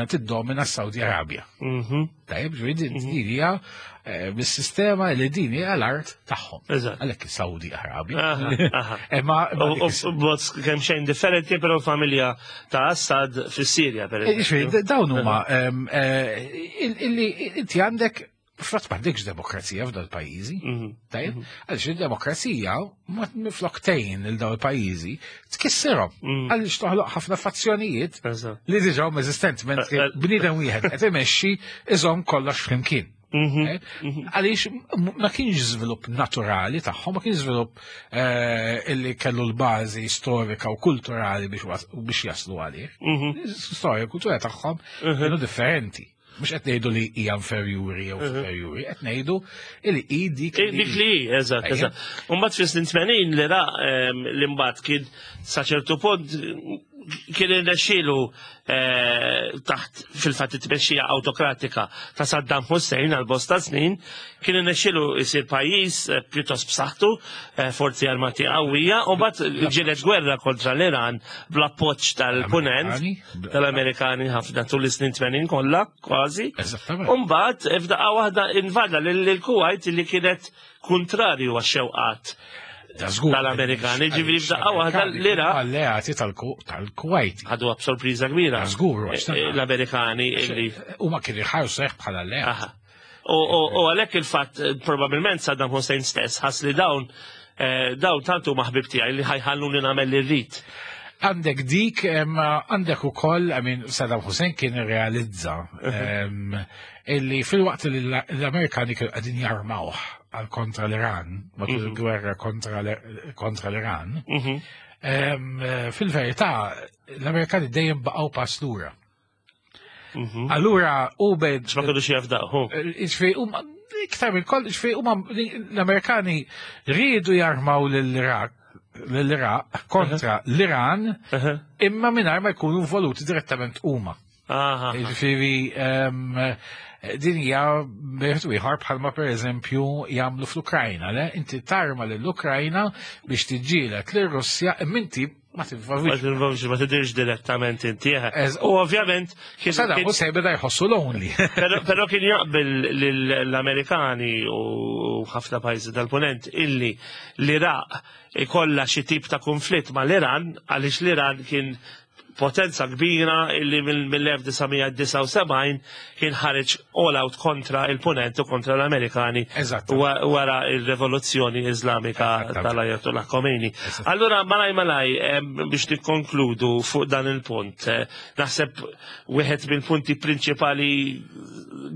tiddomina s-Saudi Arabja. Tajjeb, ġifieri din hija bis-sistema li din hija l-art tagħhom. Għalhekk Saudi Arabja.
Imma b'mod kemm xejn differenti, però l-familja ta' Assad fis-Sirja,
pereżempju. Dawn huma illi inti għandek frat m'għandekx demokrazija f'dal pajjiżi. Tajjeb, għaliex il-demokrazija mifloktejn il dawn il-pajjiżi tkissirhom għaliex toħloq ħafna fazzjonijiet li diġà huma eżistenti mentri bniedem wieħed qed imexxi iżomm kollox flimkien. Għaliex ma kienx żvilupp naturali tagħhom, ma kienx żvilupp illi kellu l-bażi storika u kulturali biex jaslu għalih. Storja u kultura tagħhom kienu differenti. Mux qed ngħidu li hija inferjuri jew superjuri, qed ngħidu li hi dik
li. Dik li hi, eżatt, eżatt. U mbagħad fis-snin tmenin li ra li mbagħad kien sa ċertu punt kien irnexxielu taħt fil-fatt it-tmexxija awtokratika ta' Saddam Hussein għal bosta snin, kien irnexxielu jsir pajjiż pjuttost b'saħħtu, forzi armati qawwija, u mbagħad ġielet gwerra kontra l-Iran bl-appoġġ tal-Punent, tal-Amerikani ħafna tul is-snin tmenin kollha, kważi. U mbagħad f'daqqa waħda invada lil-Kuwait li kienet kontrarju għax-xewqat tal-Amerikani, ġifieri f'daqqa waħda l-Iraq.
Alleati tal-Kuwait.
Ħaduha b'sorpriża kbira.
Żgur,
l-Amerikani illi.
Huma kienu jħarsu hekk bħala alleati.
U għalhekk il-fatt probabbilment Saddam Hussein stess ħass li dawn dawn tant huma ħbib tiegħi li ħajħalluni nagħmel li rrid.
Għandek dik, għandek ukoll, I mean, Saddam Hussein kien irrealizza illi fil-waqt li l-Amerikani kienu qegħdin jarmawh għal kontra l-Iran, matul il-gwerra kontra l-Iran, fil-verità l-Amerikani dejjem baqgħu pass lura. Allura u bed.
Ma kinux jafdaw.
Ġifieri huma iktar minn koll, ġifieri huma l-Amerikani riedu jarmaw lill-Iraq l-Iraq kontra l-Iran, imma mingħajr ma jkunu involuti direttament huma. Ġifieri din hija bejn ieħor bħalma pereżempju jagħmlu fl-Ukrajna, le? Inti tarma lill-Ukrajna biex tiġġieled lir-Russja, imma inti Ma
Ma
tinvolvix.
tinvolvix, ma tidirx direttament inti. eh.
Ez-
U ovvjament kien
Saddam
kien-
Hussein beda jħossu lonely.
Pero, pero kien jaqbel l-Amerikani u ħafna pajjiżi tal-ponent illi l-Iraq ikolla xi tip ta' konflitt ma' l-Iran għaliex l-Iran kien potenza kbira illi mill-elf disa' mija disgħa u sebgħin kien ħareġ all out kontra il-ponent u kontra l-Amerikani
Eżatt.
wa- wara il-rivoluzzjoni Islamika
Eżattament.
tal-Ayatollah Khomeini. Allura, malaj malaj, em, biex nikkonkludu fuq dan il-punt, eh, naħseb wieħed mill-punti prinċipali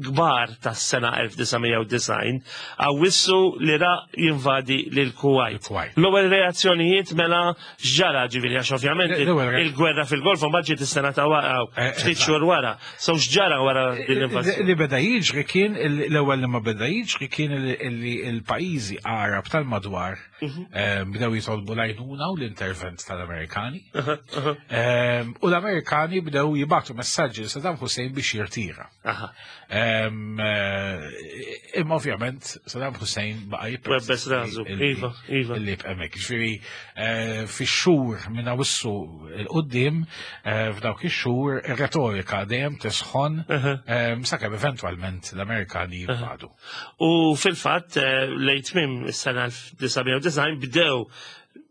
kbar tas-sena elf disa' mija u disgħin, Awwissu l-Iraq jinvadi lil Kuwait.
Il-Kuwait.
L-ewwel reazzjonijiet mela x'ġara, ġifieri, għax ovvjament
L-ewwel re-
il-gwerra fil-Golf ma ġiet is-sena ta' wara,
Eh,
ftit
eżatt.
xhur wara. So x'ġara wara din l-invażjoni?
Li beda jiġri kien, l-ewwel li ma beda jiġri kien li l-pajjiżi Arab tal-madwar
Mhm.
eh, bdew jitolbu l-għajnuna u l-intervent tal-Amerikani. Eh, U l-Amerikani bdew jibagħtu messaġġi lil Saddam Hussein biex jirtira.
Aha.
Em, eh, Imma ovvjament Saddam Hussein baqa'
Webbes rasu. Iva, iva.
Illi b'emek. Ġifieri, eh, fix-xhur minn Awwissu 'l quddiem, eh, f'dawk ix-xhur ir-retorika dejjem tisħon em, sakemm eventwalment l-Amerikani jinvadu.
U fil-fatt, eh, lejn tmiem is-sena elf disa' mija u disgħin bdew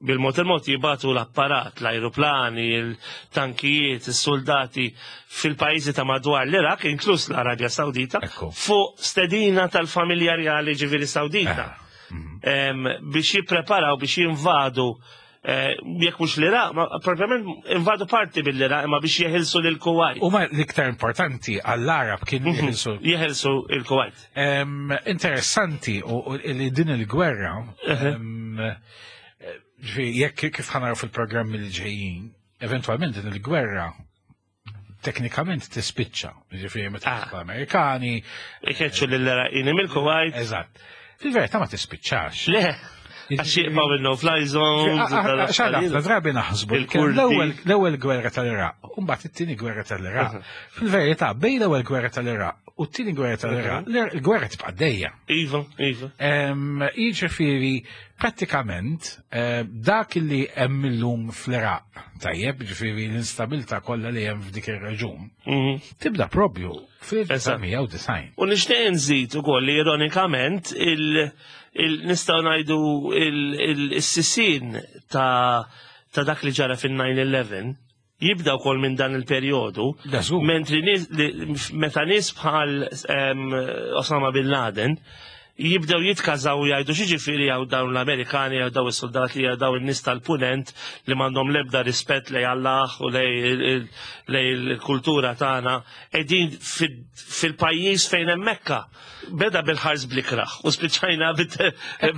bil-mod il-mod jibagħtu l-apparat, l-ajruplani, il-tankijiet, il-soldati fil-pajjiżi ta' madwar l-Iraq, inkluż l-Arabja Sawdita,
Ekku.
fuq stedina tal-familja reali, ġifieri Sawdita. Em, biex jippreparaw biex jinvadu, eh, jekk mhux l-Iraq, ma propjament invadu parti mill-Iraq, imma biex jeħilsu lil Kuwait.
U ma l-iktar importanti għall-Arab kien jeħilsu.
Jeħilsu il-Kuwait.
Em, Interessanti u u li din il-gwerra, em, eh, ġifieri, jekk kif ħa naraw fil-programmi li ġejjin, eventualment din il-gwerra teknikament tispiċċa. Ġifieri meta
Ah.
l-Amerikani,
Ikeċċu lill-Iraqini mill-Kuwait.
Eżatt. Fil-verità ma tispiċċax.
Le, għax jibqgħu il-no-fly zones. u
Xadaf,
tal-affarijiet.
drabi naħsbu li kien
Il-Kurdi.
l-ewwel l-ewwel gwerra tal-Iraq, u mbagħad it-tieni gwerra tal-Iraq. Fil-verità, bejn l-ewwel gwerra tal-Iraq u t-tieni gwerra tal-Iraq, l-gwerra tibqa' dejja.
Iva, iva.
Em, Jiġifieri, prattikament, eh, dak li hemm illum fl-Iraq, tajjeb, ġifieri l-instabilità kollha li hemm f'dik ir-reġun,
Mhm.
tibda propju fil-elf disa' mija u disgħin.
U nixtieq nżid ukoll li ironikament il, il nistgħu ngħidu il-sisien ta' ta' dak li ġara fin-nine eleven jibda wkoll minn dan il-perjodu.
Da żgur.
Mentri nies- li- meta nies bħal em, Osama Bin Laden jibdew jitkażaw u jgħidu x'jiġifieri għaw dawn l-Amerikani, għaw daw is-soldati, għaw daw in-nies tal-punent li m'għandhom l-ebda rispett lej Allah u lej lej il-kultura tagħna qegħdin fil- fil-pajjiż fejn hemm Mekka. Beda bil-ħars bl-ikraħ u spiċċajna bit-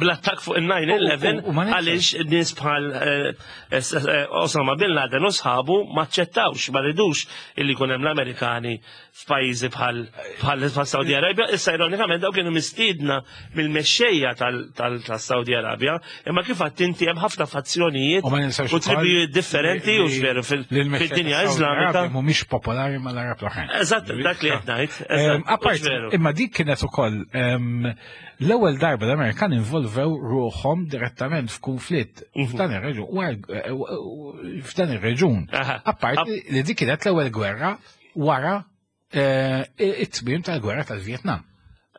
bl-attakk fuq il-nine eleven
U- u- u ma nifhem.
għaliex nies bħal eh, eh, Osama Bin Laden u sħabu ma ċċettawx, ma ridux illi jkun hemm l-Amerikani f'pajjiżi bħal bħal bħal Saudi Arabia. Issa ironikament daw kienu mistiedna mill-mexxejja tal-Saudi Arabia, imma kif għedt inti hemm ħafna fazzjonijiet
U ma ninsawx
u
ukoll
tribijiet differenti u
li-
veru fil-
li l-mexxejja
fid-dinja
tas-Saudi
Islamika.
Arabia mhumiex popolari mal-Arab l-oħrajn.
Eżatt, dak li qed ngħid.
Em,
Eżatt,
Apart,
hux veru.
imma dik kienet ukoll em, l-ewwel darba l-Amerikan involvew ruħhom direttament f'kunflitt
Mhm.
f'dan ir-reġun, wara- f'dan ir-reġun.
Aha.
Apart li dik kienet l-ewwel gwerra wara eh, it-tmiem tal-gwerra tal-Vietnam.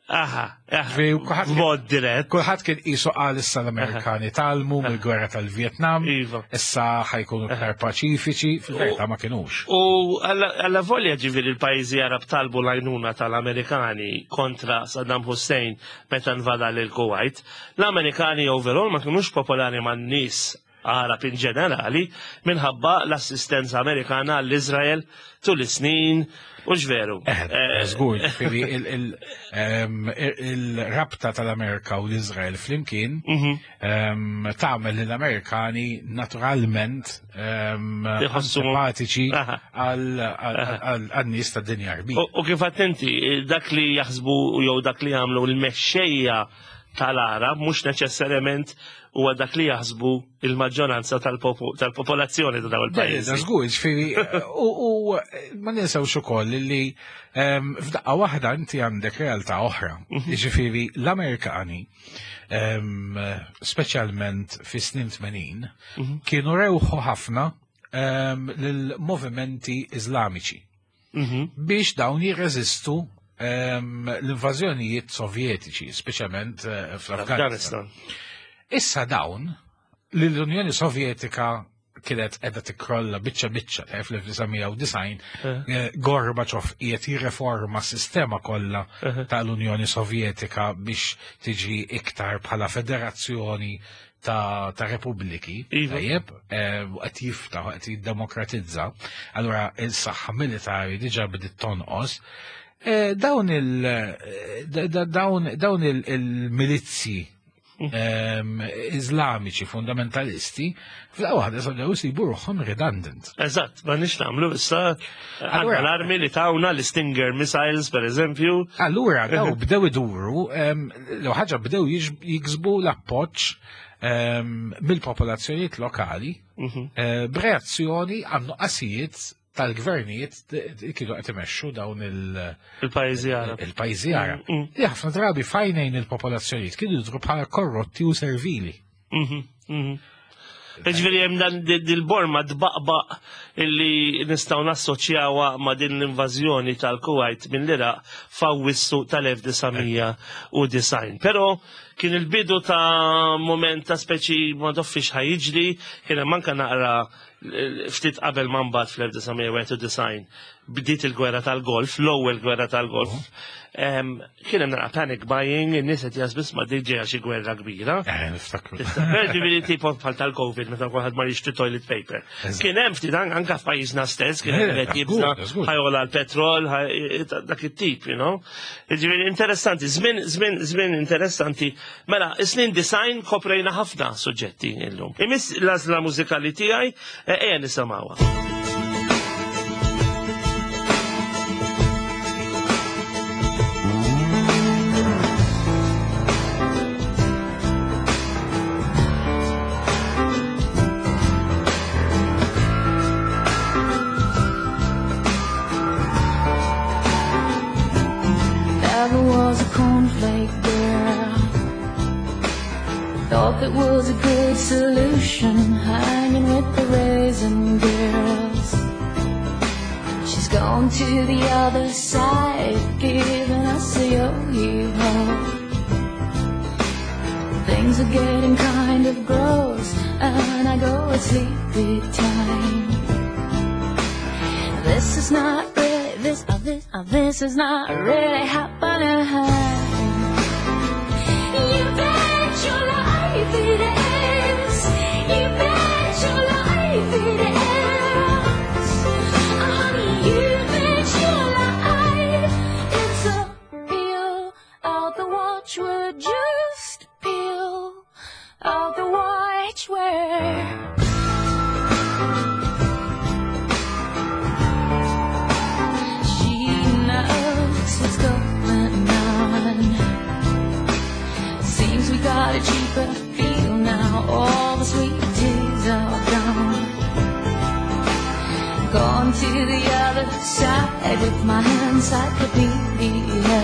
Aha, aha.
Ġifieri, kulħadd kien-
B'mod dirett.
Kulħadd kien qisu qal issa l-Amerikani tgħallmu mill-gwerra tal-Vietnam,
Iva.
issa ħa jkunu iktar paċifiċi, fil-verità ma kinux.
U alla volja ġifieri l-pajjiżi Arab talbu l-għajnuna tal-Amerikani kontra Saddam Hussein meta invada lil Kuwait, l-Amerikani overall ma kienux popolari man nies Arab in ġenerali minħabba l-assistenza Amerikana għall-Izrael tul is-snin u ġveru.
Eh, żgur, ġifieri il- il- em, il-rabta tal-Amerika u l-Izrael flimkien
Mhm.
em, tagħmel lill-Amerikani naturalment em,
Iħossu-
antipatiċi
Aha.
għal-nies tad-dinja Arbija.
U u kif għedt inti, dak li jaħsbu jew dak li jagħmlu l-mexxejja tal-Arab mhux neċessarjament huwa dak li jaħsbu il-maġġoranza tal-popolazzjoni ta' dawn il-pajjiżi.
Żgur, ġifieri, u ma ninsewx ukoll li f'daqqa waħda inti għandek realtà oħra. Ġifieri l-Amerikani, speċjalment fis-snin tmenin, kienu rewħu ħafna lill-movimenti Iżlamiċi biex dawn jirreżistu l-invażjonijiet sovjetiċi, speċjalment fl-Afganistan. Issa dawn, l-Unjoni Sovjetika kienet qiegħda tikkrolla biċċa biċċa fl-elf disa' mija u disgħin, Gorbaċov qiegħed jirreforma s-sistema kollha tal-Unjoni Sovjetika biex tiġi iktar bħala federazzjoni ta' repubbliki, tajjeb, qed jiftaħ, qed jiddemokratizza. Allura il-saħħa militari diġà bdiet tonqos. Dawn il il-milizzi Iżlamiċi fundamentalisti f'daqqa waħda sabdew isibu ruħhom redundant.
Eżatt, ma nix nagħmlu issa għandna l-armi li tawna l-Stinger missiles per eżempju.
Allura daw bdew iduru, l ħaġa bdew jiksbu l-appoġġ mill-popolazzjonijiet lokali b'reazzjoni għan nuqqasijiet tal-gvernijiet kienu qed imexxu dawn
il-pajjiżi Arab.
Il-pajjiżi Arab. Li ħafna drabi fajnejn il-popolazzjonijiet kienu jidhru bħala korrotti u servili.
Ġifieri hemm dan dil-borma tbaqbaq illi nistgħu nassoċjawha ma' din l-invażjoni tal-Kuwait mill-Iraq f'Awwissu tal-elf disa' mija u disgħin. Però kien il-bidu ta' moment ta' speċi ma doffix ħajġri, kien hemm anke naqra ftit qabel ma mbagħad fl-elf disa' mija wieħed u disgħin bdiet il-gwerra tal-Golf, l-ewwel gwerra tal-Golf. Kien hemm naqra panic buying, in-nies qed jaħsbu ma diġà xi gwerra kbira.
Eh, niftakru.
Ġifieri tipo bħal tal-Covid meta kulħadd ma jixtri toilet paper. Kien hemm ftit anke f'pajjiżna stess, kien hemm qed jibża' ħajola l-petrol, dak it-tip, you know. Ġifieri interessanti, żmien żmien żmien interessanti. Mela, is-snin design koprejna ħafna suġġetti illum. Imiss l-għażla mużikali tiegħi, ejja nisimgħuha.
Never was a cornflake girl. Thought that was a good solution, hanging with the raisin girls. She's gone to the other side, giving us a yo-yo. Things are getting kind of gross, and I go at sleepy time. This is not really, this, uh, this, uh, this is not really happening. You bet your life it is. You bet your life it is. Honey, you bet your life it's a peel out the watchword, just peel out the watchword. She knows what's going on. Seems we got a cheaper feel now. All the sweet tears are gone. Gone to the other side with my encyclopedia.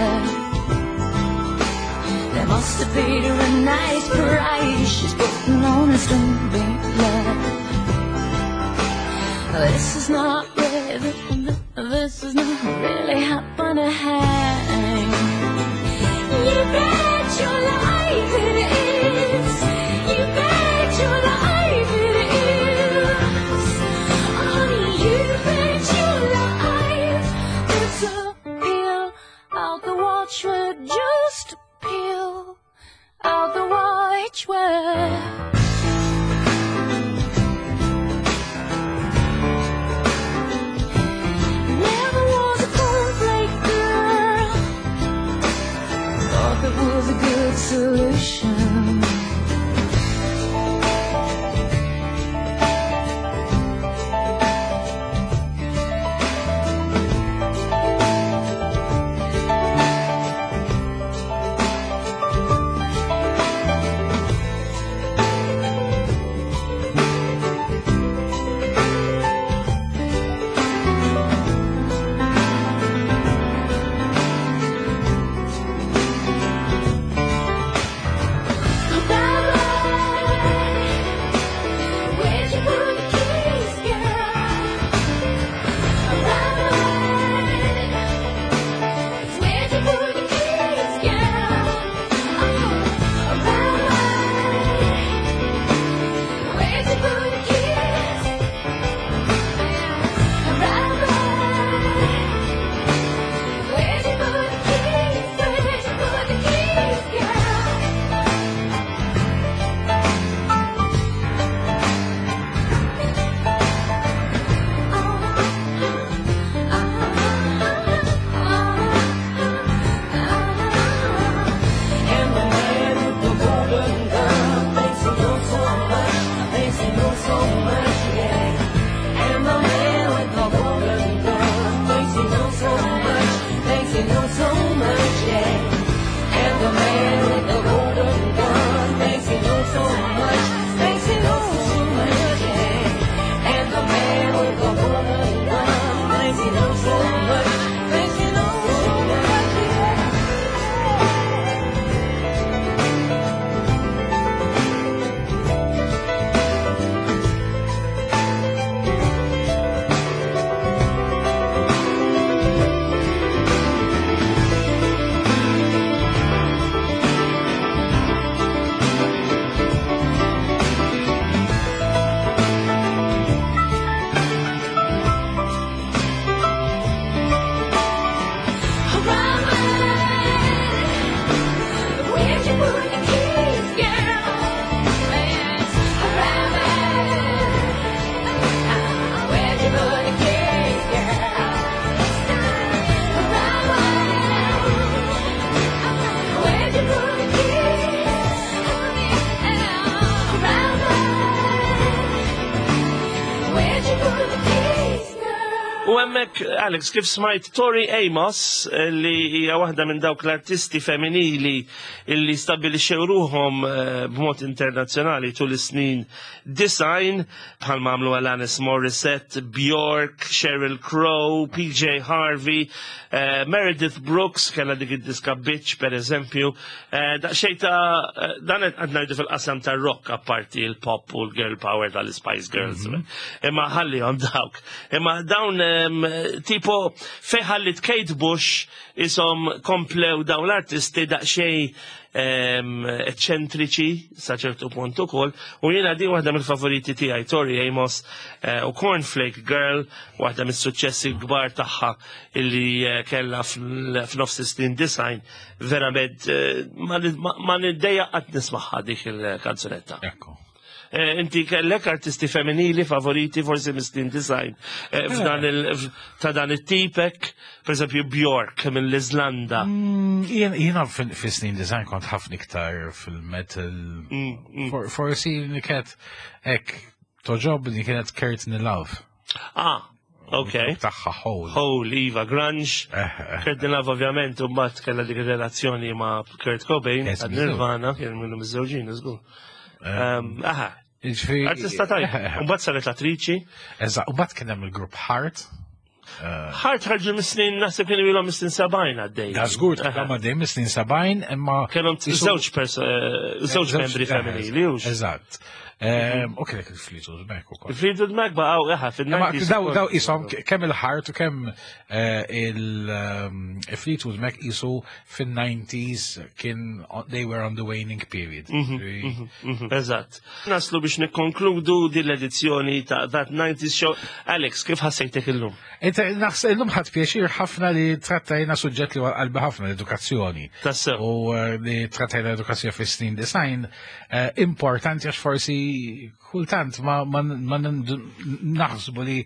They must have paid her a nice price. She's putting on a stone love. This is not really, this is not really happening. You bet your life it is. You bet your life it is. Honey, you bet your life it's a peel out the watchword, just peel out the watchword. Never was a cornflake girl.
U hemmhekk, Alex, kif smajt Tori Amos, eh, li hija waħda minn dawk l-artisti femminili illi stabbilixxew ruhom eh, b'mod internazzjonali tul is-snin disgħin, bħal għamlu Alanis Morissette, Bjork, Sheryl Crow, P J Harvey, eh, Meredith Brooks, kellha dik id-diska Bitch, per eżempju. Eh, Daqsxejn ta' eh, dan qed ngħidu fil-qasam ta' rock, apparti il-pop u l-girl power tal-Spice Girls. Imma ħallihom dawk. Imma dawn em, tipo fejn ħallit Kate Bush isom komplew dawn l-artisti daqsxejn em, eċċentriċi sa ċertu punt ukoll, u jiena din waħda mill-favoriti tiegħi, Tori Amos eh, u Cornflake Girl, waħda mis-suċċessi kbar tagħha illi eh, kellha fl- f'nofs is-snin disgħin, verament eh, ma ma- ma niddejjaq qatt nismagħha dik il-kanzunetta.
Ekku.
Eh, Inti kellek artisti femminili favoriti forsi mis-snin disgħin eh, f'dan il f- ta' dan it-tipek, per eżempju Bjork mill-Iżlanda?
Mm, Jien jiena fis-snin disgħin kont ħafna iktar fil-metal.
Mm, mm.
For- Forsi li kienet ek togħġobni kienet Courtney Love.
Ah, ok.
Tagħha Hole.
Hole, Iva, grunge.
Eh, eh.
Courtney Love ovvjament u mbagħad kellha dik ir-relazzjoni ma' Kurt Cobain,
Yes,
għad Nirvana, kien minnu miżżewġin, żgur. Um, Aha,
Jiġifieri-
artista tajba.
Eh, eh.
U mbagħad saret attriċi.
Eżatt, u mbagħad kien hemm il-grupp Heart.
Heart ħarġu mis-snin, naħseb kienu ilhom mis-snin sebgħin għaddej.
Da żgur kellhom għaddej mis-snin sebgħin, imma
Kellhom
jisu-
żewġ pers- eh, żewġ membri
eh,
femminili, hux?
Eżatt. Ehm, U kienek il-Fleetwood Mac ukoll.
Fleetwood Mac baqgħu eħa
Imma
fin-nineties.
daw daw isom kemm il-Heart u kemm eh, il-Fleetwood Mac isu fin-nineties kien they were on the waning period.
Mhm, Eżatt. Naslu biex nikkonkludu din l-edizzjoni ta' That nineties Show. Alex, kif ħassejtek illum?
Inta naħseb illum ħadt pjaċir ħafna li trattajna suġġett li huwa qalbi ħafna, l-edukazzjoni.
Tassew.
U eh, li trattajna l-edukazzjoni fis-snin disgħin eh, importanti għax forsi kultant ma, ma, ma naħsbu li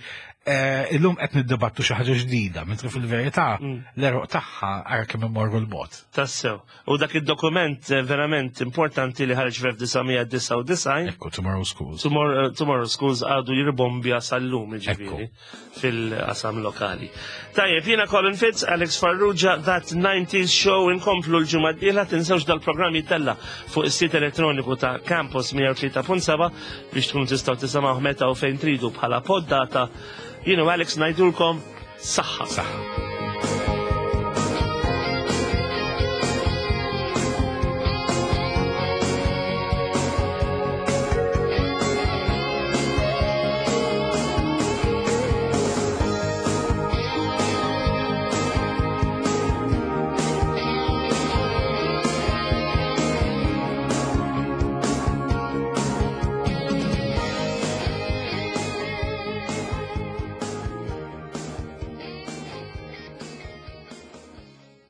eh, illum qed niddibattu xi ħaġa ġdida, mentri fil-verità l-għeruq tagħha ara kemm immorru 'l bogħod.
Tassew. U dak id-dokument eh, verament importanti li ħareġ fl-elf disa' mija disgħa u disgħin.
Ekku, Tomorrow Schools.
Tomorrow, Tomorrow Schools għadu jirbombja sal-lum, ġifieri, fil-qasam lokali. Tajjeb, jiena Colin Fitz, Alex Farrugia, That nineties Show, inkomplu l-ġimgħa d-dieħla. Tinsewx dal-programm jittella fuq is-sit elettroniku ta' Campus mija u tlieta punt seba' biex tkunu tistgħu tisimgħu meta u fejn tridu bħala poddata. Jiena u Alex ngħidulkom saħħa.
Saħħa.